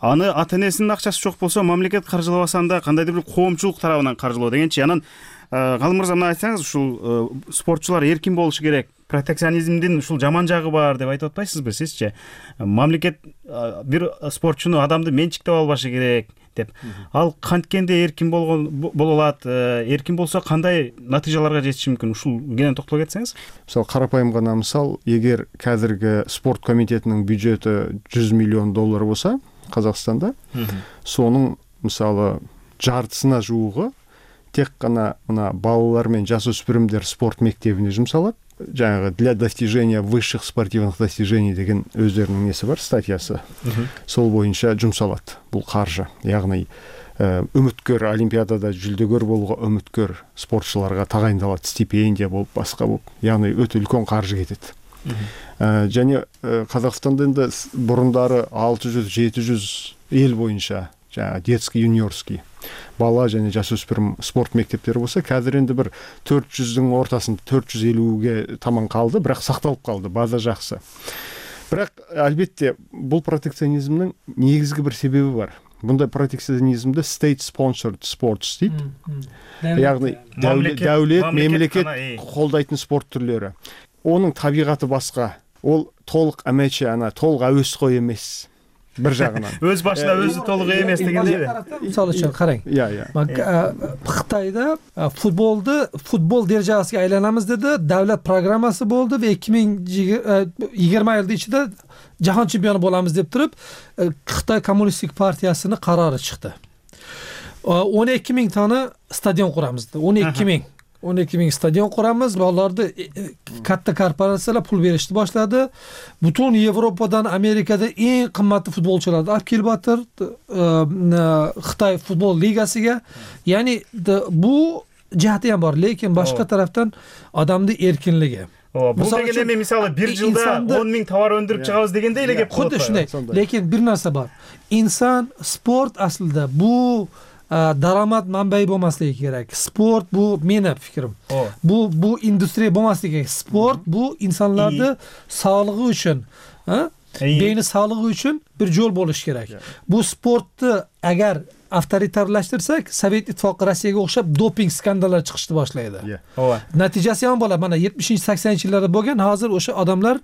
аны ата-энесинин акчасы жок болсо, мамлекет каржылабасанда кандайдыр бир коомчулук тарабынан каржылоо дегенчи, анан Калым мырза, мына айтсаңыз, ушул спортчулар эркин болушу керек, протекционизмдин ушул жаман жагы бар деп айтып атпайсызбы сизчи? Мамлекет бир спортчуну, адамды менчиктеп албашы керек деп. Ал канткенде эркин болгон боло алат, эркин болсо кандай натыйжаларга жетиши мүмкүн? Ушул кенен токтоло кетсеңиз. Мисалы, карапайым гана мисал, эгер қазіргі спорт комитетинин бюджети жүз миллион доллар болса Казакстанда, сонун мисалы жартысына жуугу тек гана мына балалар мен жасөспүрүмдөр спорт мектебине жумсалат. Жаңағы для достижения высших спортивных достижений деген өздерінің несі бар, статьясы. Сол боюнча жумсалат бул каржы. Яғни үміткер олимпиадада жүлдөгөр болууга үміткер спортчуларга тагайындалат, стипендия болуп, башка болуп. Яғни өтө үлкөн каржы кетет. Және Казакстанда енді бурундары алты жүз жети жүз эл боюнча жаңа детский, юниорский бала және жасөспүрүм спорт мектептери болса, қазір енді бір төрт жүздүн ортасында төрт жүз элүүгө таман калды, бирок сакталып калды, база жакшы. Бирок албетте бул протекционизмдин негизги бир себеби бар. Bunday proteksionizmde state sponsored sports дейт. Яғни дәулет, мемлекет колдайтын спорт түрлөрү. Onun табигаты башка. Ол толук эмече, ана толук әуесқой эмес. Бир жагынан. Өз башына өзү толук эмес дегенде. Мисалы үчүн караң. Иә, иә. Кытайда футболду футбол дәрежесине айланамыз деди, давлет программасы болду ve эки миң жыйырма жылдын ичинде жаһан чемпиону боламыз деп туруп, Кытай коммунисттик партиясынын карары чыкты. он эки миң таны стадион курамыз dedi. он эки миң он эки миң стадион курамыз, баларды катта корпорациялар пул беришти башлады. Бүтүн Европадан, Америкада эң кымбаттуу футболчуларды алып келип атыр Кытай футбол лигасыга. Яни бу жааты ham бар, lekin башка тараптан адамдын эркинлиги. Бул деген эми мисалы бир жылда он миң товар өндүрүп чыгабыз дегенде эле кеп калат. Худды ушундай. Lekin бир нерсе бар. Инсан, спорт aslida bu дарамат манбайы болмаслыгы керек. Спорт бу менин фикрим. Бу бу индустрия болмаслыгы керек. Спорт бу инсанларды саалыгы үчүн, бейни саалыгы үчүн бир жол болуш керек. Бу спортты агар авторитарлаштырсак, Совет Ittifoqi Rossiyaga o'xshab doping skandallari chiqishni boshlaydi. Natijasi ham bo'ladi. Mana yetmishinchi saksonинchi yillarda bo'lgan, hozir o'sha odamlar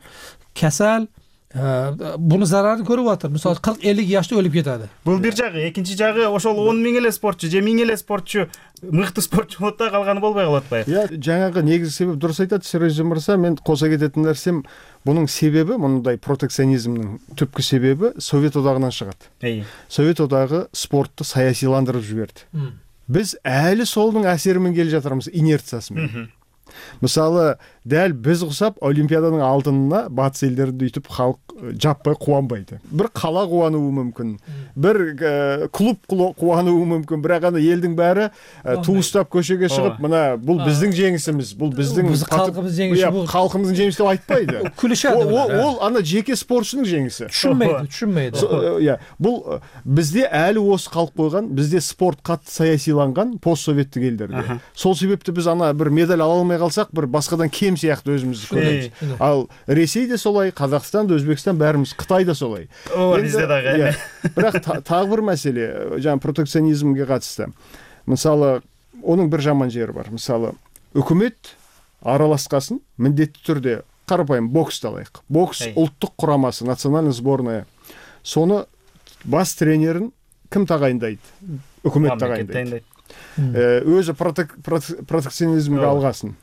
kasal, buni zararini ko'ryapti. Misol qirq ellik yoshda o'lib ketadi. Бул бир жагы, экинчи жагы ошол он миң эле спортчу, же миң эле спортчу мыкты спортчу болот да калганы болбой калып атпайбы? Я жаңагы негизги себеп дурус айтат Сережа мырза, мен кошо кететін нерсем, бунун себеби, мындай протекционизмдин түпкү себеби Совет одагынан чыгат. Совет одагы спортту саясиландырып жиберди. Биз әлі солдун әсерімен келе жатырмыз, инерциясымен. Мисалы, дәл біз ұқсап Олимпиаданың алтынына батыс елдерді үйтіп халық жаппай қуанбайды. Бір қала қуануы мүмкін, бір клуб қуануы мүмкін, бірақ ана елдің бәрі туыстап көшеге шығып, мына бұл біздің жеңісіміз, бұл біздің халқымыздың жеңісі деп айтпайды. Күлішеді. Ол ана жеке спортшының жеңісі. Түшінмейді, түшінмейді. Бұл бізде әлі осы қалып қойған, бізде спорт қатты саясиланған постсоветтік елдерде. Сол себепті біз ана бір медаль ала алмай қалсақ, бір басқадан кем сияқты өзімізді көреміз. Ал Ресей де солай, Қазақстан да, Өзбекстан бәріміз, Қытай да солай. О, бізде дағы. Бірақ тағы бір мәселе, жаңа протекционизмге қатысты. Мысалы, оның бір жаман жері бар. Мысалы, үкімет араласқасын міндетті түрде қарапайым боксты алайық. Бокс ұлттық құрамасы, национальный сборная. Соны бас тренерін кім тағайындайды? Үкімет тағайындайды. Өзі протекционизмге алғасын.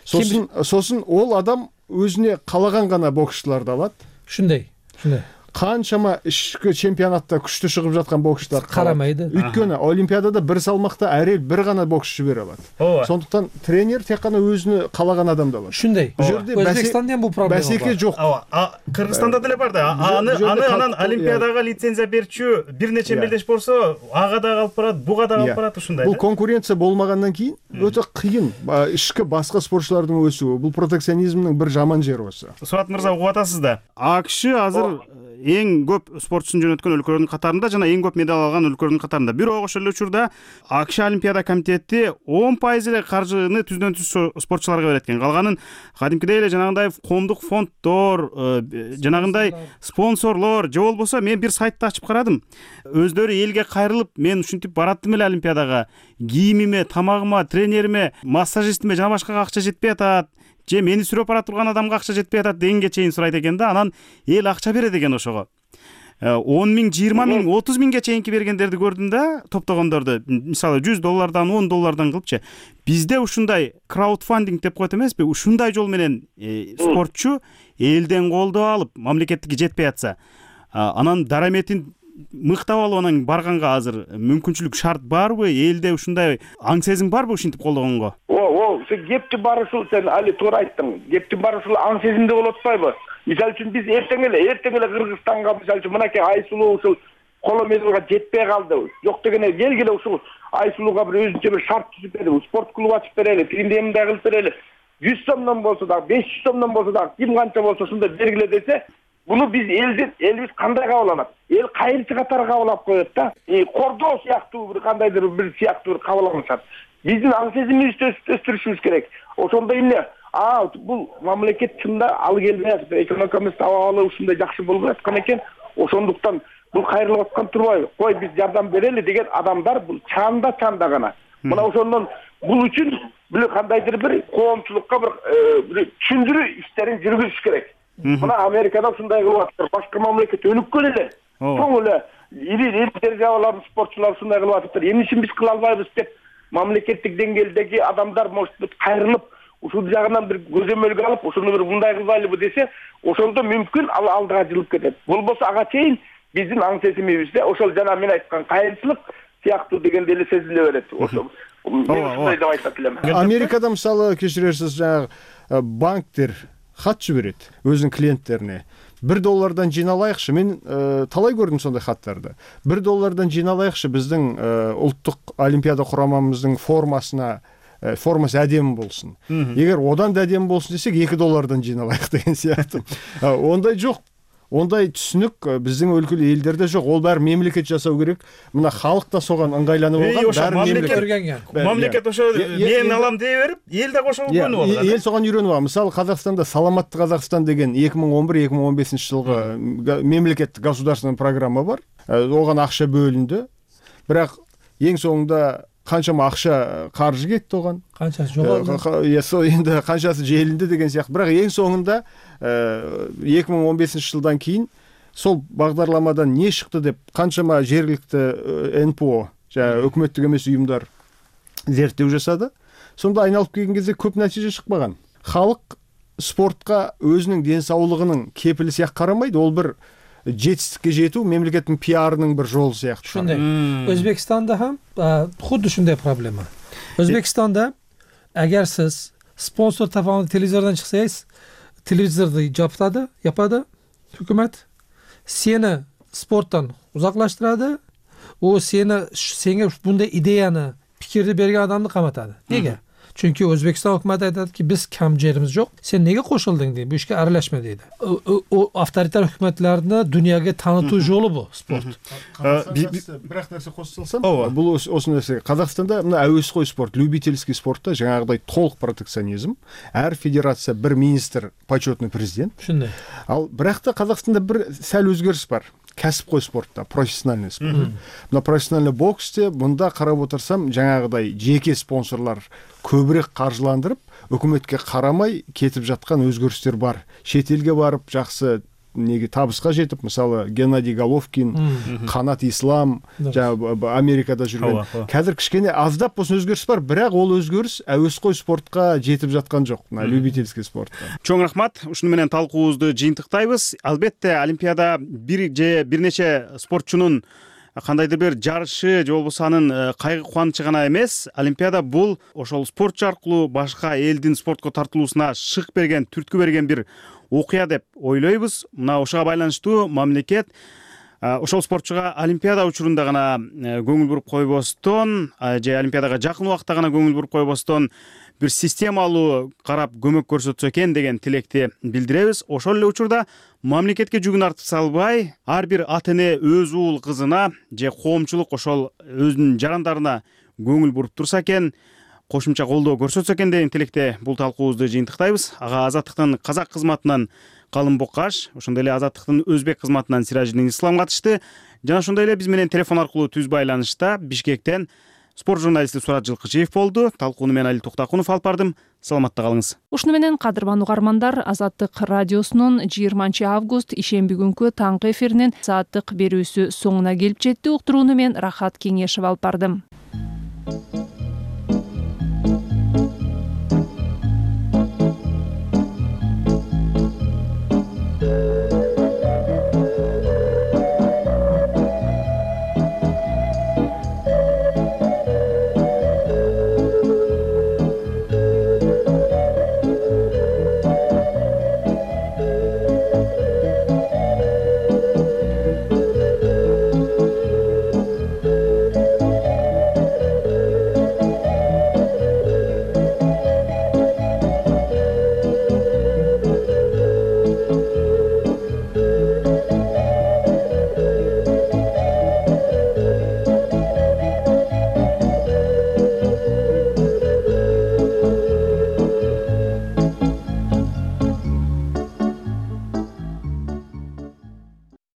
Сосын, сосын ол адам өзіне қалаған ғана боксшыларды алады. Шындай, шындай. Қаншама ішкі чемпионатта күшті шығып жатқан боксшылар қарамайды. Өйткені Олимпиадада бір салмақта әр ел бір ғана боксшы жібере алады. Сондықтан тренер тек қана өзіне қалаған адамды алады. Шындай. Өзбекстанда бұл проблема бар. Бәсеке жоқ. Кыргызстанда деле бар да. Аны анан Олимпиадага лицензия берчү бир нече мелдеш болсо, ага да калып барат, буга да калып барат ушундай. Бул конкуренция болмагандан кийин өтө кыйын ишке башка спортчулардын өсүүү. Бул протекционизмдин бир жаман жери осы. Суат мырза, угуп атасыз да. АКШ азыр эң көп спортчусын жөнөткөн өлкөлөрдүн катарында жана эң көп медаль алган өлкөлөрдүн катарында. Бирок ошол эле учурда АКШ Олимпиада комитети он пайыз эле каржыны түздөн түз спортчуларга берет экен. Калганын кадимкидей эле жанагындай коомдук фонддор, жанагындай спонсорлор же болбосо мен бир сайтты ачып карадым. Өздөрү элге кайрылып, мен ушинтип бараттым эле Олимпиадага. кийимиме, тамагыма, тренериме, массажистиме жана башкага акча жетпей атат, же мени сүрөп бара турган адамга акча жетпей атат дегенге чейин сурайт экен да. Анан эл акча берет экен ошого. он миң, жыйырма миң, отуз миңге чейинки бергендерди көрдүм да, топтогондорду. Мисалы жүз доллардан, он доллардан кылыпчы. Бизде ушундай краудфандинг деп коет эмеспи? Ушундай жол менен спортчу элден колдоо алып, мамлекеттикке жетпей атса, анан дараметин мыктап алып анан барганга азыр мүмкүнчүлүк шарт барбы? Элде ушундай аң сезим барбы ушинтип колдогонго? О, сен кептин баары ушул, сен али туура айттың. Кептин баары ушул аң сезимде болуп атпайбы? Мисалы үчүн биз эртең эле, эртең эле Кыргызстанга мисалы үчүн мынакей Айсулуу ушул коло медалга жетпей калды. Жок дегене келгиле ушул Айсулууга бир өзүнчө бир шарт түзүп берели, спорт клуб ачып берели, тигиндей мындай кылып берели. жүз сомдон болсо дагы, беш жүз сомдон болсо дагы, ким канча болсо ушундай бергиле десе, буну биз элдин элибиз кандай кабыл алат? Эл кайрычы катары кабыл алып коет да. Кордоо сыяктуу бир кандайдыр бир сыяктуу бир кабыл алышат. Биздин аң сезимибизди өстүрүшүбүз керек. Ошондо эмне? А, бул мамлекет чында ал келбей атат, экономикабыз абалы ушундай жакшы болбой аткан экен. Ошондуктан бул кайрылып аткан турбайбы? Кой биз жардам берели деген адамдар бул чанда чанда гана. Мына ошондон бул үчүн бир кандайдыр бир коомчулукка бир түшүндүрүү иштерин жүргүзүш керек. Мына Америкада ушундай кылып атыптыр. Башка мамлекет өнүккөн эле. Чоң эле ири державалардын спортчулары ушундай кылып атыптыр. Эмне үчүн биз кыла албайбыз деп мамлекеттик деңгээлдеги адамдар может кайрылып ушул жагынан бир көзөмөлгө алып, ушуну бир мындай кылбайлыбы десе, ошондо мүмкүн ал алдыга жылып кетет. Болбосо ага чейин биздин аң сезимибизде ошол жана мен айткан кайрылык сыяктуу дегенде эле сезиле берет. Ошо ушундай деп айтат элем. Америкада мисалы кечирерсиз, жанагы банктер хат жиберет өзүнүн клиенттерине. бир доллардан жиналайыкчы. Мен талай көрдүм сондай хаттарды. бир доллардан жиналайыкчы биздин улуттук олимпиада курамамыздын формасына, формасы әдемі болсын. Егер одан да әдемі болсын десек, эки доллардан жиналайық деген сияқты. Ондай жоқ. Ондай түсінік біздің өлкелі елдерде жоқ. Ол бәрі мемлекет жасау керек. Мына халық та соған ыңғайланып алған. Мемлекет ошо мен алам дей берип, ел да ошого көнүп алат. Ел соған үйрөнүп алат. Мысалы, Қазақстанда Саламатты Қазақстан деген эки миң он бир эки миң он бешинчи жылғы мемлекеттик государственный программа бар. Оған ақша бөлінді. Бірақ ең соңында қаншама ақша қаржы кетті оған. Қаншасы жоғалды. Енді қаншасы желінді деген сияқты. Бірақ ең соңында эки миң он бешинчи жылдан кейін сол бағдарламадан не шықты деп қаншама жергілікті эн пэ о, жаңағы өкіметтік емес ұйымдар зерттеу жасады. Сонда айналып келген кезде көп нәтиже шықпаған. Халық спортқа өзінің денсаулығының кепілі сияқты қарамайды. Ол бір жетістікке жету мемлекеттің пиарының бір жолы сияқты. Шундай. Өзбекстанда ham xuddi shunday проблема. O'zbekistonda agar siz sponsor tomonidan televizordan chiqsangiz, televizorni yopadi, yapadi hukumat. Seni sportdan uzoqlashtiradi. U seni senga bunday ideyani, fikrni bergan odamni qamatadi. Nega? Chunki O'zbekiston hukumati aytadiki, biz kam jerimiz yo'q. Sen nega qo'shilding deydi. Bu ishga aralashma deydi. O avtoritar hukumatlarni dunyoga tanituv yo'li bu sport. Biroq narsa qo'shilsам, бұл осы нәрсе. Қазақстанда мына әуесқой спорт, любительский спортта жаңағыдай толық протекционизм. Әр федерация бір министр, почетный президент. Шындай. Ал бірақ та Қазақстанда бір сәл өзгеріс бар. Кәсіпқой спортта, профессиональный спорт. Мына профессиональный боксте мұнда қарап отырсам, жаңағыдай жеке спонсорлар көбірек қаржыландырып, үкіметке қарамай кетіп жатқан өзгерістер бар. Шетелге барып, жақсы неге табысқа жетіп, мысалы Геннадий Головкин, Қанат Ислам, Америкада жүрген. Қазір кішкене аздап болсын өзгеріс бар, бірақ ол өзгеріс әуесқой спортқа жетіп жатқан жоқ, любительский спортқа. Чоң рахмат. Ушуну менен талкуубузду жыйынтыктайбыз. Албетте Олимпиада бир же бир нече спортчунун кандайдыр бир жарышы же болбосо анын кайгы кубанычы гана эмес. Олимпиада бул ошол спортчу аркылуу башка элдин спортко тартылуусуна шык берген, түрткү берген бир окуя деп ойлойбуз. Мына ошого байланыштуу мамлекет ошол спортчуга Олимпиада учурунда гана көңүл буруп койбостон, же Олимпиадага жакын убакта гана көңүл буруп койбостон бир системалуу карап көмөк көрсөтсө экен деген тилекти билдиребиз. Ошол эле учурда мамлекетке жүгүн артып салбай, ар бир ата эне өз уул кызына же коомчулук ошол өзүнүн жарандарына көңүл буруп турса экен, кошумча колдоо көрсөтсө экен деген тилекте бул талкуубузду жыйынтыктайбыз. Ага Азаттыктын казак кызматынан Калым Бокаш, ошондой эле Азаттыктын өзбек кызматынан Сиражидин Ислам катышты. Жана ошондой эле биз менен телефон аркылуу түз байланышта Бишкектен Спорт журналисти Сурат Жылкычиев болду. Талкууну мен Али Токтакунов алып бардым. Саламатта калыңыз. Ушуну менен кадырман угармандар, Азаттык радиосунун жыйырманчы август ишемби күнкү таңкы эфиринин сааттык берүүсү соңуна келип жетти. Уктурууну мен Рахат Кеңешев алып бардым.